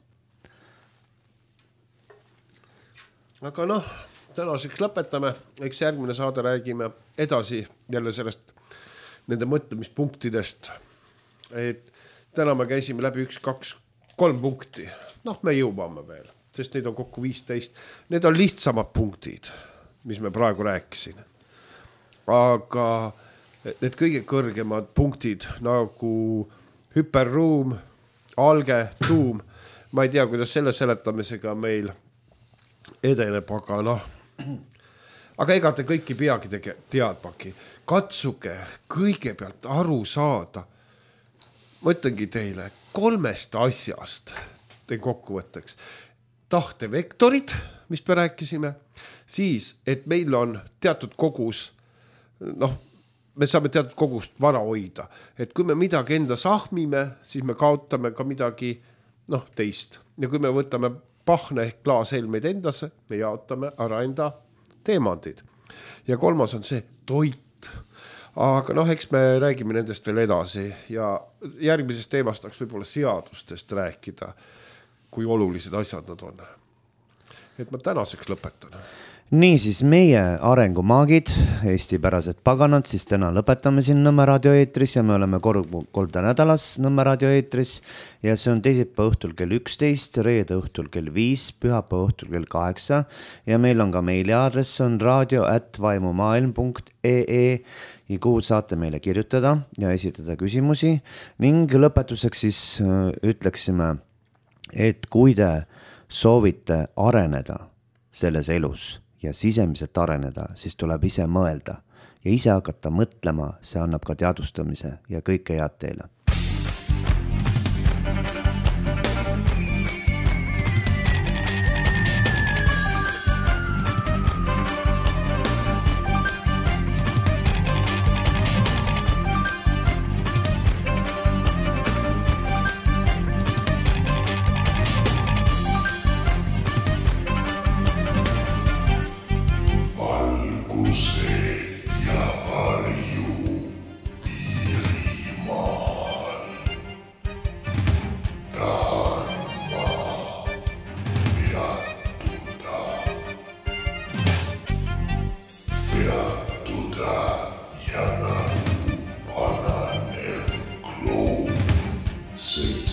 aga noh, tänaseks lõpetame, eks järgmine saade räägime edasi jälle sellest nende mõtlemispunktidest, et täna me käisime läbi üks, kaks, kolm punkti, noh me jõuame veel, sest neid on kokku viisteist, need on lihtsamad punktid, mis me praegu rääkisin, aga need kõige kõrgemad punktid nagu hüperruum, alge, tuum, ma ei tea, kuidas selle seletamisega meil edeneb, aga noh, aga ega te kõiki peagi tege, teadmagi. Katsuge kõigepealt aru saada, mõtlengi teile, kolmest asjast teen kokkuvõtteks. Tahtevektorid, mis me rääkisime, siis, et meil on teatud kogus, noh, me saame teatud kogust vara hoida, et kui me midagi enda sahmime, siis me kaotame ka midagi, noh, teist. Ja kui me võtame pahne ehk klaashelmeid endasse, me jaotame ära enda teemandid. Ja kolmas on see toit. Aga noh, eks me räägime nendest veel edasi ja järgmisest teemast tahaks võib-olla seadustest rääkida, kui olulised asjad nad on. Et ma tänaseks lõpetan. Nii siis meie arengumaagid, eestipärased paganad, siis täna lõpetame siin Nõmme raadioeetris ja me oleme kolm korda nädalas Nõmme raadioeetris ja see on teisipäeva õhtul kell üksteist, reede õhtul kell viis, pühapäeva õhtul kell kaheksa ja meil on ka meiliaadress on radio at vaimumaailm punkt ee ja kuhu saate meile kirjutada ja esitada küsimusi ning lõpetuseks siis ütleksime, et kui te soovite areneda selles elus ja sisemiselt areneda, siis tuleb ise mõelda ja ise hakata mõtlema, see annab ka teadvustamise ja kõike head teile. See